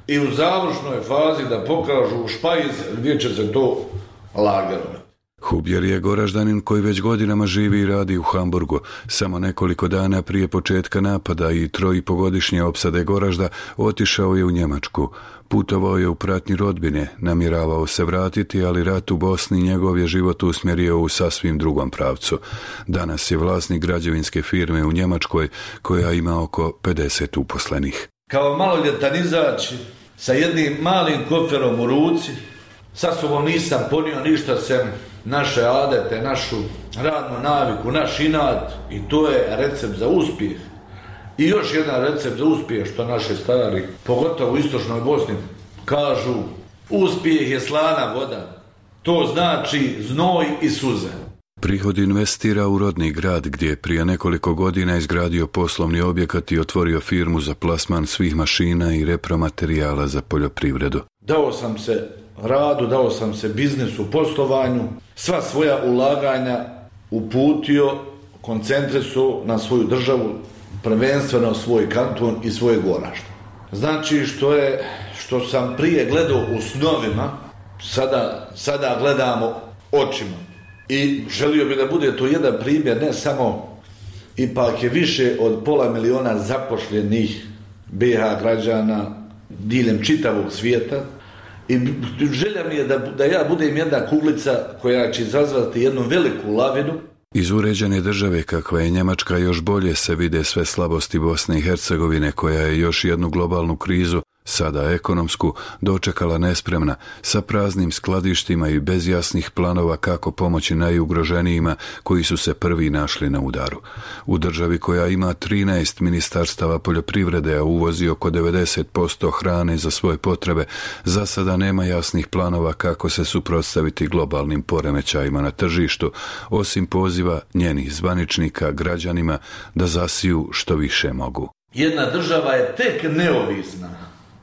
i u završnoj fazi da pokažu špajz gdje će se to lagati. Hubjer je Goraždanin koji već godinama živi i radi u Hamburgu. Samo nekoliko dana prije početka napada i 3,5-godišnje opsade Goražda otišao je u Njemačku. Putovao je u pratnji rodbine, namjeravao se vratiti, ali rat u Bosni njegov je život usmjerio u sasvim drugom pravcu. Danas je vlasnik građevinske firme u Njemačkoj koja ima oko 50 uposlenih. Kao maloljetan izaći sa jednim malim koferom u ruci, sa sobom nisam ponio ništa sem naše adete, našu radnu naviku, naš inat, i to je recept za uspjeh. I još jedan recept za uspjeh, što naši stari, pogotovo u istočnoj Bosni, kažu: uspjeh je slana voda. To znači znoj i suze. Prihod investira u rodni grad gdje je prije nekoliko godina izgradio poslovni objekat i otvorio firmu za plasman svih mašina i repromaterijala za poljoprivredu. Dao sam se radu, dao sam se biznisu, poslovanju, sva svoja ulaganja uputio, koncentrisao na svoju državu, prvenstveno svoj kanton i svoje Goražde. Znači što sam prije gledao u snovima, sada gledamo očima. I želio bi da bude to jedan primjer, ne samo, ipak je više od 500 000 zapošljenih BiH građana diljem čitavog svijeta. I želja mi je da ja budem jedna kuglica koja će izazvati jednu veliku lavinu. Iz uređene države kakva je Njemačka još bolje se vide sve slabosti Bosne i Hercegovine, koja je još jednu globalnu krizu, sada ekonomsku, dočekala nespremna, sa praznim skladištima i bez jasnih planova kako pomoći najugroženijima koji su se prvi našli na udaru. U državi koja ima 13 ministarstava poljoprivrede, a uvozi oko 90% hrane za svoje potrebe, za sada nema jasnih planova kako se suprotstaviti globalnim poremećajima na tržištu, osim poziva njenih zvaničnika građanima da zasiju što više mogu. Jedna država je tek neovisna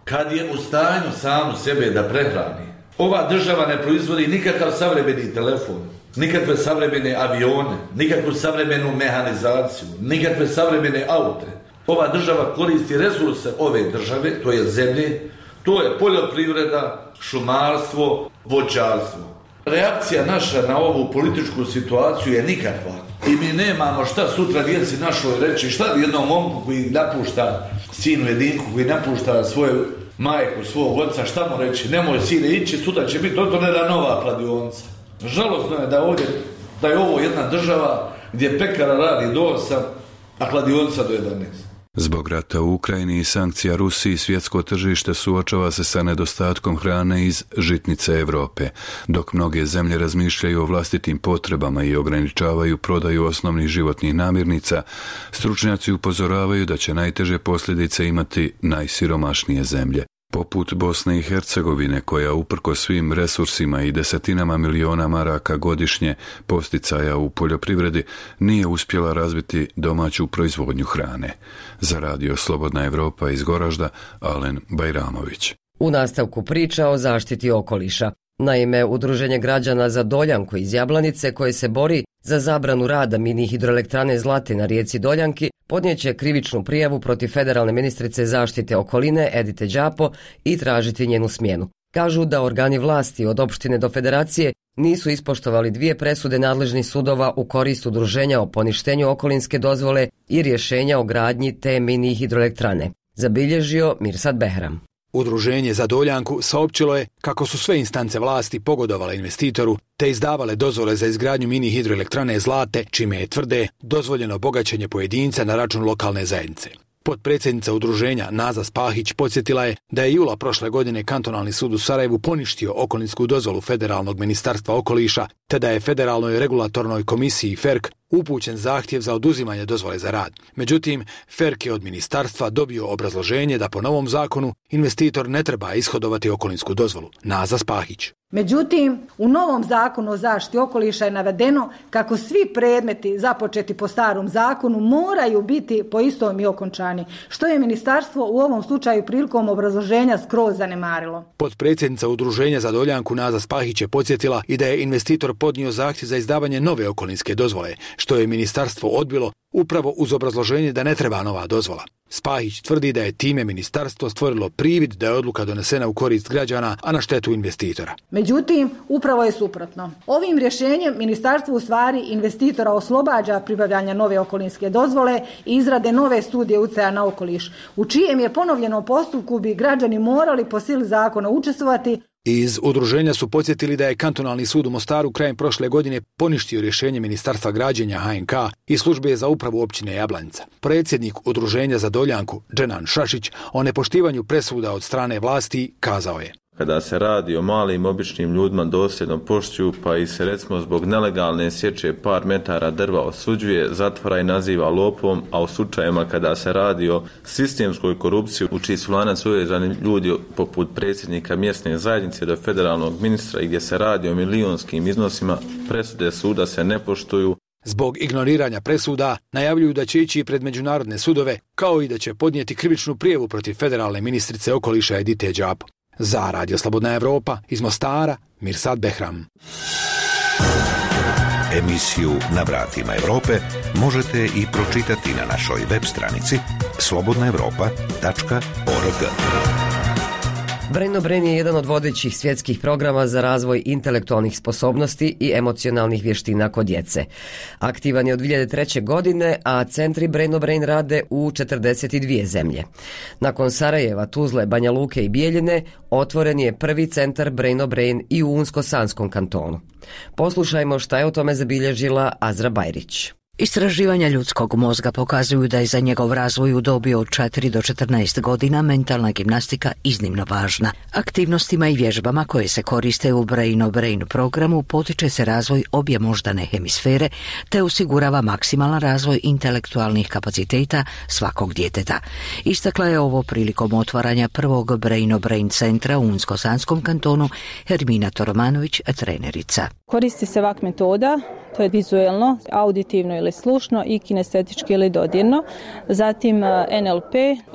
kad je u stanju samu sebe da prehrani. Ova država ne proizvodi nikakav savremeni telefon, nikakve savremene avione, nikakvu savremenu mehanizaciju, nikakve savremene aute. Ova država koristi resurse ove države, to je zemlje, to je poljoprivreda, šumarstvo, voćarstvo. Reakcija naša na ovu političku situaciju je nikakva. I mi nemamo šta sutra djeci našoj reći, šta jednom momku koji napušta, sinu jedinku koji napušta svoju majku, svog oca, šta mu reći? Nemoj sine ići, sutra će biti otvorena nova kladionica. Žalosno je da je ovo jedna država gdje pekara radi do 8, a kladionica do 11. Zbog rata u Ukrajini i sankcija Rusiji, svjetsko tržište suočava se sa nedostatkom hrane iz žitnice Europe, dok mnoge zemlje razmišljaju o vlastitim potrebama i ograničavaju prodaju osnovnih životnih namirnica. Stručnjaci upozoravaju da će najteže posljedice imati najsiromašnije zemlje, poput Bosne i Hercegovine, koja uprkos svim resursima i desetinama miliona maraka godišnje posticaja u poljoprivredi nije uspjela razviti domaću proizvodnju hrane. Za Radio Slobodna Evropa iz Goražda, Alen Bajramović. U nastavku priča o zaštiti okoliša. Naime, Udruženje građana za Doljanku iz Jablanice, koje se bori za zabranu rada mini hidroelektrane Zlate na rijeci Doljanki podnijeće krivičnu prijavu protiv federalne ministrice zaštite okoline Edite Đapo i tražiti njenu smjenu. Kažu da organi vlasti od opštine do federacije nisu ispoštovali 2 presude nadležnih sudova u korist udruženja o poništenju okolinske dozvole i rješenja o gradnji te mini hidroelektrane. Zabilježio Mirsad Behram. Udruženje za Doljanku saopćilo je kako su sve instance vlasti pogodovale investitoru te izdavale dozvole za izgradnju mini hidroelektrane Zlate, čime je, tvrde, dozvoljeno bogaćenje pojedinca na račun lokalne zajednice. Potpredsjednica udruženja Naza Spahić podsjetila je da je jula prošle godine Kantonalni sud u Sarajevu poništio okolinsku dozvolu Federalnog ministarstva okoliša, te da je Federalnoj regulatornoj komisiji FERC upućen zahtjev za oduzimanje dozvole za rad. Međutim, FERC je od ministarstva dobio obrazloženje da po novom zakonu investitor ne treba ishodovati okolinsku dozvolu. Naza Spahić. Međutim, u novom zakonu o zaštiti okoliša je navedeno kako svi predmeti započeti po starom zakonu moraju biti po istom i okončani, što je ministarstvo u ovom slučaju prilikom obrazloženja skroz zanemarilo. Potpredsjednica udruženja za Doljanku Naza Spahić je podsjetila i da je investitor podnio zahtjev za izdavanje nove okolinske dozvole, što je ministarstvo odbilo upravo uz obrazloženje da ne treba nova dozvola. Spahić tvrdi da je time ministarstvo stvorilo privid da je odluka donesena u korist građana, a na štetu investitora. Međutim, upravo je suprotno. Ovim rješenjem ministarstvo u stvari investitora oslobađa pribavljanja nove okolinske dozvole i izrade nove studije utjecaja na okoliš, u čijem je ponovljenom postupku bi građani morali po sili zakona učestvovati. Iz udruženja su podsjetili da je Kantonalni sud u Mostaru krajem prošle godine poništio rješenje Ministarstva građenja HNK i službe za upravu općine Jablanica. Predsjednik udruženja za Doljanku, Dženan Šašić, o nepoštivanju presuda od strane vlasti kazao je: Kada se radi o malim običnim ljudima dosljedno poštuju, pa i se recimo zbog nelegalne sječe par metara drva osuđuje, zatvara i naziva lopovom, a u slučajevima kada se radi o sistemskoj korupciji u čiji su lanac uvezani ljudi poput predsjednika mjesne zajednice do federalnog ministra i gdje se radi o milionskim iznosima, presude suda se ne poštuju. Zbog ignoriranja presuda najavljuju da će ići pred međunarodne sudove, kao i da će podnijeti krivičnu prijavu protiv federalne ministrice okoliša Edite Đapo. Za Radio Slobodna Evropa iz Mostara, Mirsad Behram. Emisiju Na vratima Evrope možete i pročitati na našoj web stranici slobodnaevropa.org. Brain Brain je jedan od vodećih svjetskih programa za razvoj intelektualnih sposobnosti i emocionalnih vještina kod djece. Aktivan je od 2003. godine, a centri Brain Brain rade u 42 zemlje. Nakon Sarajeva, Tuzle, Banja Luke i Bijeljine, otvoren je prvi centar Brain Brain i u Unsko-Sanskom kantonu. Poslušajmo šta je o tome zabilježila Azra Bajrić. Istraživanja ljudskog mozga pokazuju da je za njegov razvoj u dobi od 4 do 14 godina mentalna gimnastika iznimno važna. Aktivnostima i vježbama koje se koriste u Brain Brain programu potiče se razvoj obje moždane hemisfere te osigurava maksimalan razvoj intelektualnih kapaciteta svakog djeteta. Istakla je ovo prilikom otvaranja prvog Brain Brain centra u Unsko-Sanskom kantonu Hermina Toromanović, trenerica. Koristi se VAK metoda, to je vizuelno, auditivno ili slušno i kinestetički ili dodirno. Zatim NLP,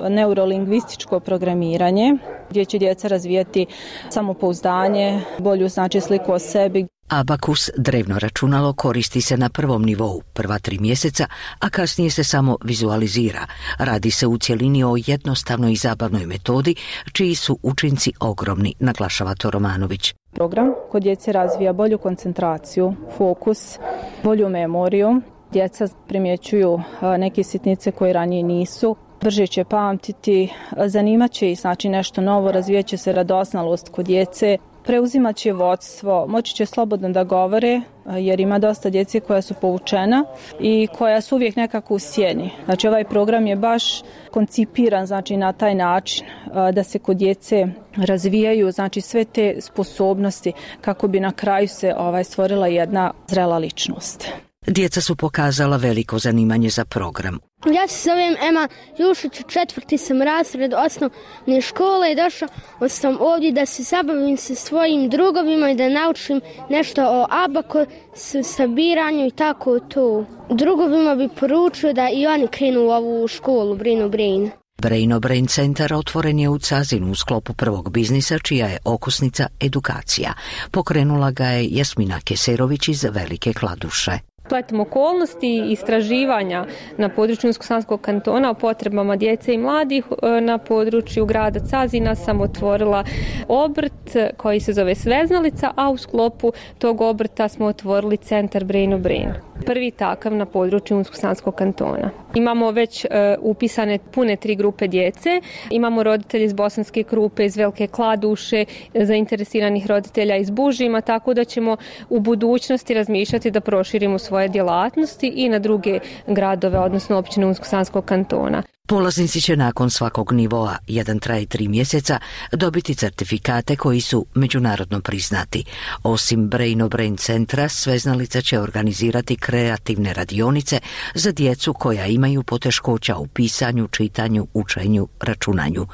neurolingvističko programiranje, gdje će djeca razvijati samopouzdanje, bolju sliku o sebi. Abakus, drevno računalo, koristi se na prvom nivou, prva 3 mjeseca, a kasnije se samo vizualizira. Radi se u cjelini o jednostavnoj i zabavnoj metodi, čiji su učinci ogromni, naglašava Toromanović. Program kod djece razvija bolju koncentraciju, fokus, bolju memoriju. Djeca primjećuju neke sitnice koje ranije nisu. Brže će pamtiti, zanimat će ih nešto novo, razvijat će se radosnalost kod djece. Preuzimat će vodstvo, moći će slobodno da govore, jer ima dosta djece koja su povučena i koja su uvijek nekako u sjeni. Znači ovaj program je baš koncipiran na taj način da se kod djece razvijaju sve te sposobnosti kako bi na kraju se stvorila jedna zrela ličnost. Djeca su pokazala veliko zanimanje za program. Ja se zovem Ema Jušić, 4. sam razred osnovne škole i došao sam ovdje da se zabavim sa svojim drugovima i da naučim nešto o abakusu, sabiranju i tako to. Drugovima bi poručio da i oni krenu u ovu školu Brain Brain. Brain Brain centar otvoren je u Cazinu u sklopu prvog biznisa, čija je okusnica edukacija. Pokrenula ga je Jasmina Keserović iz Velike Kladuše. Spletom okolnosti i istraživanja na području Unsko-sanskog kantona o potrebama djece i mladih na području grada Cazina sam otvorila obrt koji se zove Sveznalica, a u sklopu tog obrta smo otvorili centar Brain of Brain. Prvi takav na području Unsko-sanskog kantona. Imamo već upisane pune 3 grupe djece. Imamo roditelje iz Bosanske Krupe, iz Velike Kladuše, zainteresiranih roditelja iz Bužima, tako da ćemo u budućnosti razmišljati da proširimo svoje djelatnosti i na druge gradove, odnosno općine Unsko-sanskog kantona. Polaznici će nakon svakog nivoa, jedan traje 3 mjeseca, dobiti certifikate koji su međunarodno priznati. Osim Brain of Brain centra, Sveznalica će organizirati kreativne radionice za djecu koja imaju poteškoća u pisanju, čitanju, učenju, računanju.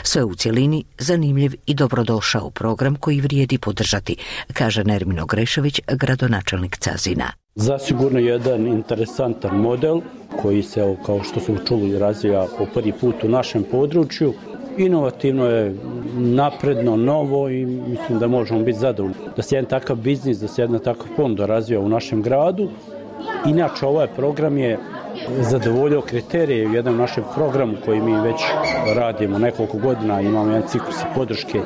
Sve u cjelini zanimljiv i dobrodošao program koji vrijedi podržati, kaže Nermino Grešević, gradonačelnik Cazina. Zasigurno jedan interesantan model koji se, kao što smo čuli, razvija po prvi put u našem području. Inovativno je, napredno, novo i mislim da možemo biti zadovoljni. Da se jedan takav biznis, da se jedna takav ponuda razvija u našem gradu. Inače, ovaj program je zadovoljio kriterije u jednom našem programu koji mi već radimo nekoliko godina. Imamo jedan ciklus podrške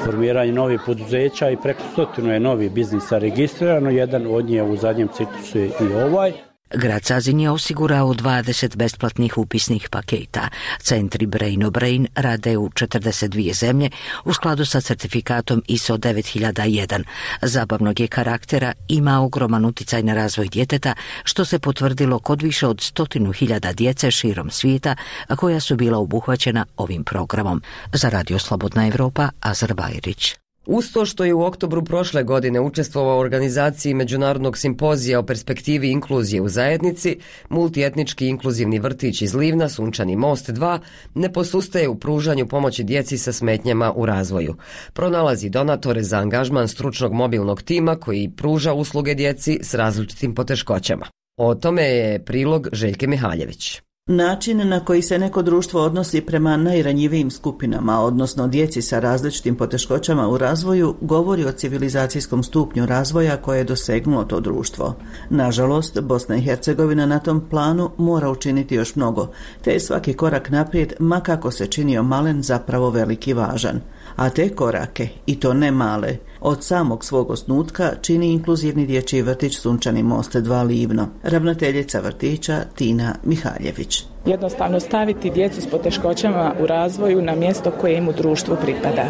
formiranje novih poduzeća i preko 100 je novih biznisa registrirano. Jedan od njih u zadnjem ciklusu je i ovaj. Grad Cazin je osigurao 20 besplatnih upisnih paketa. Centri Brain of Brain rade u 42 zemlje u skladu sa certifikatom ISO 9001. Zabavnog je karaktera, ima ogroman utjecaj na razvoj djeteta, što se potvrdilo kod više od 100.000 djece širom svijeta koja su bila obuhvaćena ovim programom. Za Radio Slobodna Evropa, Azar Bajrić. Uz to što je u oktobru prošle godine učestvovao u organizaciji Međunarodnog simpozija o perspektivi inkluzije u zajednici, multietnički inkluzivni vrtić iz Livna, Sunčani most 2, ne posustaje u pružanju pomoći djeci sa smetnjama u razvoju. Pronalazi donatore za angažman stručnog mobilnog tima koji pruža usluge djeci s različitim poteškoćama. O tome je prilog Željke Mihaljević. Način na koji se neko društvo odnosi prema najranjivijim skupinama, odnosno djeci sa različitim poteškoćama u razvoju, govori o civilizacijskom stupnju razvoja koje je dosegnulo to društvo. Nažalost, Bosna i Hercegovina na tom planu mora učiniti još mnogo, te je svaki korak naprijed, ma kako se činio malen, zapravo veliki i važan. A te korake, i to ne male, od samog svog osnutka čini inkluzivni dječji vrtić Sunčani most 2 Livno. Ravnateljica vrtića Tina Mihaljević. Jednostavno staviti djecu s poteškoćama u razvoju na mjesto koje im u društvu pripada.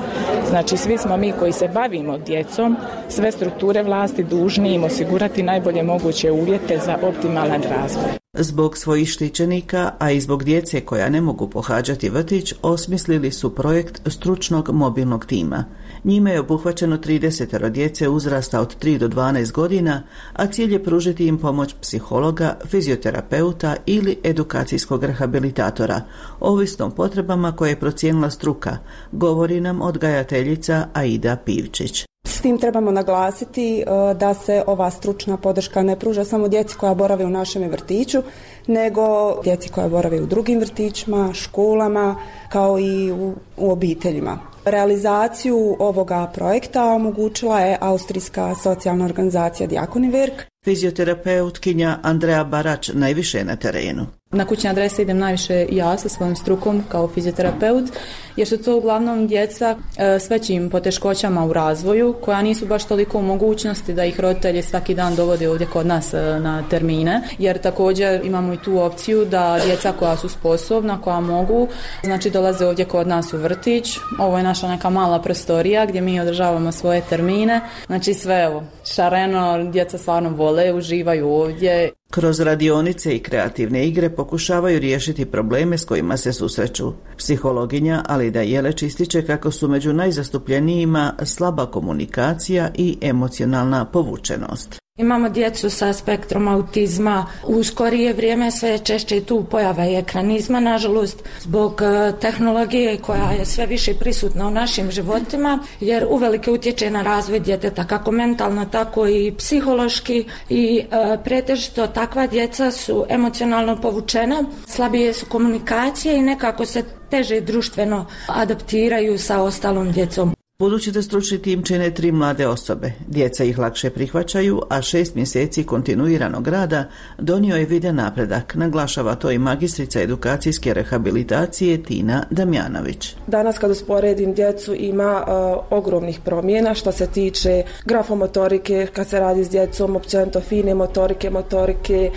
Znači, svi smo mi koji se bavimo djecom, sve strukture vlasti dužni im osigurati najbolje moguće uvjete za optimalan razvoj. Zbog svojih štićenika, a i zbog djece koja ne mogu pohađati vrtić, osmislili su projekt stručnog mobilnog tima. Njime je obuhvaćeno 30 djece uzrasta od 3 do 12 godina, a cilj je pružiti im pomoć psihologa, fizioterapeuta ili edukacijskog rehabilitatora, ovisno o potrebama koje je procijenila struka, govori nam odgajateljica Aida Pivčić. S tim trebamo naglasiti da se ova stručna podrška ne pruža samo djeci koja borave u našem vrtiću, nego djeci koja borave u drugim vrtićima, školama, kao i u obiteljima. Realizaciju ovoga projekta omogućila je austrijska socijalna organizacija Diakoniwerk. Fizioterapeutkinja Andrea Barač najviše je na terenu. Na kućne adrese idem najviše ja sa svojom strukom kao fizioterapeut, jer su to uglavnom djeca s većim poteškoćama u razvoju, koja nisu baš toliko u mogućnosti da ih roditelji svaki dan dovode ovdje kod nas na termine, jer također imamo i tu opciju da djeca koja su sposobna, koja mogu, znači dolaze ovdje kod nas u vrtić. Ovo je naša neka mala prostorija gdje mi održavamo svoje termine, znači sve evo, šareno, djeca stvarno vole, uživaju ovdje. Kroz radionice i kreativne igre pokušavaju riješiti probleme s kojima se susreću. Psihologinja Alida Jeleć ističe kako su među najzastupljenijima slaba komunikacija i emocionalna povučenost. Imamo djecu sa spektrom autizma, u skorije vrijeme sve češće tu pojava i ekranizma, nažalost, zbog tehnologije koja je sve više prisutna u našim životima, jer uvelike utječe na razvoj djeteta, kako mentalno, tako i psihološki, i pretežito takva djeca su emocionalno povučena, slabije su komunikacije i nekako se teže društveno adaptiraju sa ostalom djecom. Budući da stručni tim čine 3 mlade osobe, djeca ih lakše prihvaćaju, a 6 mjeseci kontinuiranog rada donio je viden napredak, naglašava to i magistrica edukacijske rehabilitacije Tina Damjanović. Danas kad usporedim djecu ima ogromnih promjena što se tiče grafomotorike, kad se radi s djecom, općenito fine motorike,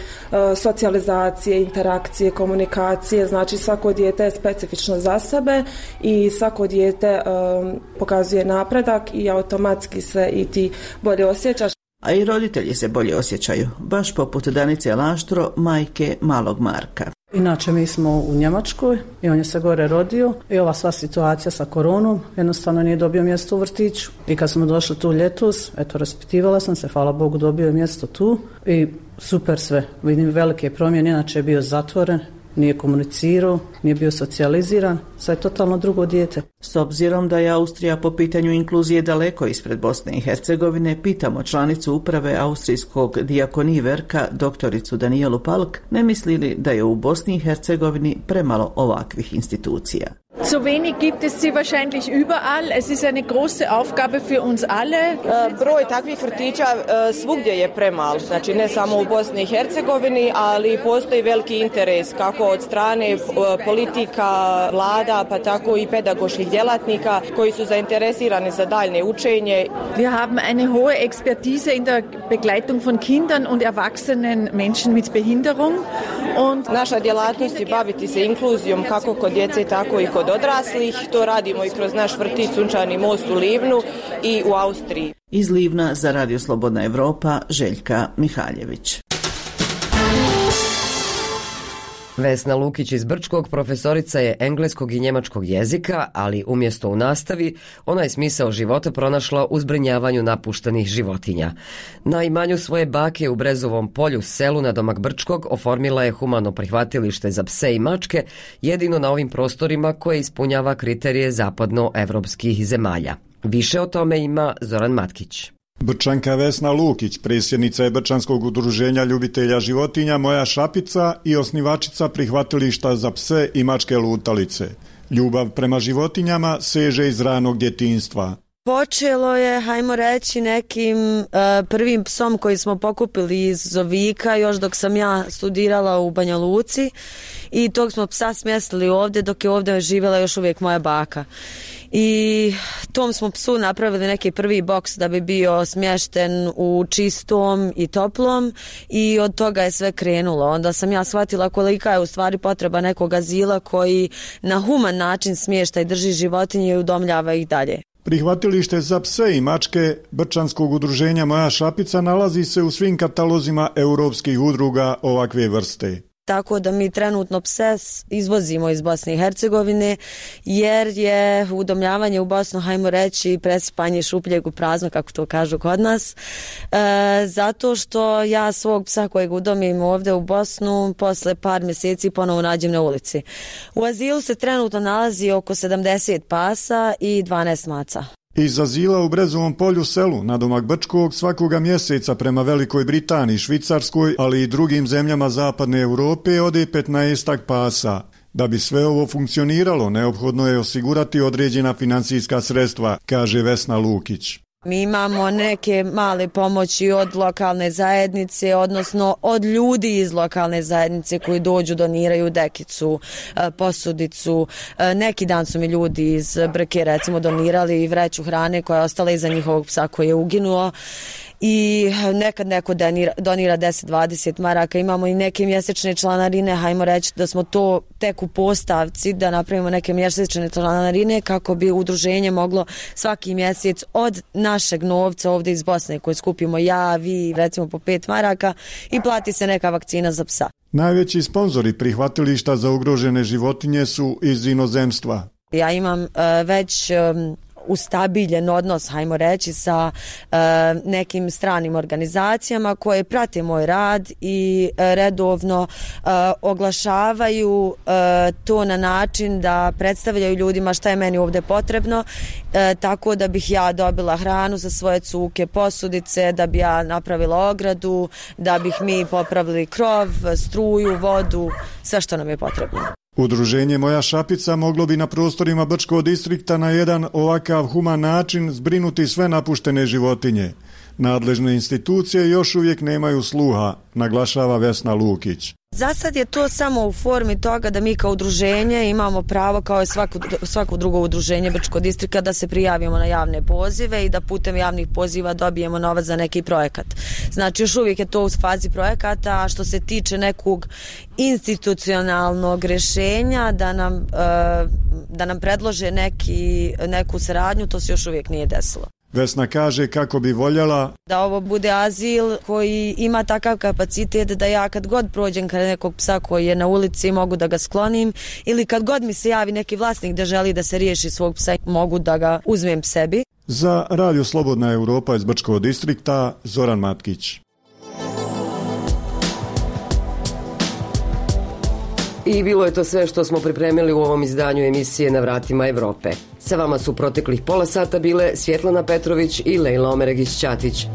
socijalizacije, interakcije, komunikacije, znači svako dijete je specifično za sebe i svako dijete pokazuje napredak i automatski se i ti bolje osjećaš. A i roditelji se bolje osjećaju, baš poput Danice Laštro, majke malog Marka. Inače mi smo u Njemačkoj i on je se gore rodio i ova sva situacija sa koronom jednostavno nije dobio mjesto u vrtiću. I kad smo došli tu ljetos, raspitivala sam se, hvala Bogu dobio je mjesto tu i super sve. Vidim velike promjene, inače je bio zatvoren, nije komunicirao, nije bio socijaliziran, sad je totalno drugo dijete. S obzirom da je Austrija po pitanju inkluzije daleko ispred Bosne i Hercegovine, pitamo članicu uprave Austrijskog Diakoniverka, doktoricu Danijelu Palk, ne misli li da je u Bosni i Hercegovini premalo ovakvih institucija. Zu wenig gibt es sie wahrscheinlich überall. Es ist eine große Aufgabe für uns alle. Broj takvih vrtića svugdje je premal, znači ne samo u Bosni i Hercegovini, ali postoji veliki interes kako od strane politika, vlada, pa tako i pedagoških djelatnika koji su zainteresirani za daljnje učenje. Wir haben eine hohe Expertise in der Begleitung von Kindern und erwachsenen Menschen mit Behinderung. Und naša djelatnost je baviti se inkluzijom kako kod djece, tako i kod odraslih. To radimo i kroz naš vrtić Sunčani most u Livnu i u Austriji. Iz Livna za Radio Slobodna Evropa, Željka Mihaljević. Vesna Lukić iz Brčkog profesorica je engleskog i njemačkog jezika, ali umjesto u nastavi, ona je smisao života pronašla u zbrinjavanju napuštenih životinja. Na imanju svoje bake u Brezovom polju, selu nadomak Brčkog, oformila je humano prihvatilište za pse i mačke, jedino na ovim prostorima koje ispunjava kriterije zapadnoevropskih zemalja. Više o tome ima Zoran Matkić. Brčanka Vesna Lukić, predsjednica je Brčanskog udruženja ljubitelja životinja Moja šapica i osnivačica prihvatilišta za pse i mačke lutalice. Ljubav prema životinjama seže iz ranog djetinjstva. Počelo je, hajmo reći, nekim prvim psom koji smo pokupili iz Zovika još dok sam ja studirala u Banja Luci i tog smo psa smjestili ovdje dok je ovdje živjela još uvijek moja baka. I tom smo psu napravili neki prvi boks da bi bio smješten u čistom i toplom i od toga je sve krenulo. Onda sam ja shvatila kolika je u stvari potreba nekog azila koji na human način smješta i drži životinje i udomljava ih dalje. Prihvatilište za pse i mačke Brčanskog udruženja Moja šapica nalazi se u svim katalozima europskih udruga ovakve vrste. Tako da mi trenutno pse izvozimo iz Bosne i Hercegovine jer je udomljavanje u Bosnu, hajmo reći, presipanje šupljeg u prazno, kako to kažu kod nas. Zato što ja svog psa kojeg udomim ovdje u Bosnu posle par mjeseci ponovo nađem na ulici. U azilu se trenutno nalazi oko 70 pasa i 12 maca. Iz azila u Brezovom polju selu nadomak Brčkog svakoga mjeseca prema Velikoj Britaniji, Švicarskoj, ali i drugim zemljama zapadne Europe ode 15 pasa. Da bi sve ovo funkcioniralo, neophodno je osigurati određena financijska sredstva, kaže Vesna Lukić. Mi imamo neke male pomoći od lokalne zajednice, odnosno od ljudi iz lokalne zajednice koji dođu, doniraju dekicu, posudicu. Neki dan su mi ljudi iz Brke recimo donirali vreću hrane koja je ostala iza njihovog psa koji je uginuo. I nekad neko donira 10-20 maraka. Imamo i neke mjesečne članarine, hajmo reći da smo to tek u postavci, da napravimo neke mjesečne članarine kako bi udruženje moglo svaki mjesec od našeg novca ovdje iz Bosne koje skupimo ja, vi, recimo po 5 maraka i plati se neka vakcina za psa. Najveći sponzori prihvatilišta za ugrožene životinje su iz inozemstva. Ja imam već ustabiljen odnos, hajmo reći, sa nekim stranim organizacijama koje prate moj rad i redovno oglašavaju to na način da predstavljaju ljudima šta je meni ovdje potrebno, tako da bih ja dobila hranu za svoje cuke, posudice, da bi ja napravila ogradu, da bih mi popravili krov, struju, vodu, sve što nam je potrebno. Udruženje Moja šapica moglo bi na prostorima Brčkog distrikta na jedan ovakav human način zbrinuti sve napuštene životinje. Nadležne institucije još uvijek nemaju sluha, naglašava Vesna Lukić. Za sad je to samo u formi toga da mi kao udruženje imamo pravo kao i svako drugo udruženje Brčkog distrikta da se prijavimo na javne pozive i da putem javnih poziva dobijemo novac za neki projekat. Znači još uvijek je to u fazi projekata, a što se tiče nekog institucionalnog rješenja da nam predlože neku saradnju, to se još uvijek nije desilo. Vesna kaže kako bi voljela da ovo bude azil koji ima takav kapacitet da ja kad god prođem kod nekog psa koji je na ulici mogu da ga sklonim ili kad god mi se javi neki vlasnik da želi da se riješi svog psa mogu da ga uzmem sebi. Za Radio Slobodna Europa iz Brčkog distrikta Zoran Matkić. I bilo je to sve što smo pripremili u ovom izdanju emisije Na vratima Evrope. Sa vama su proteklih pola sata bile Svjetlana Petrović i Lejla Omeregić-Ćatić.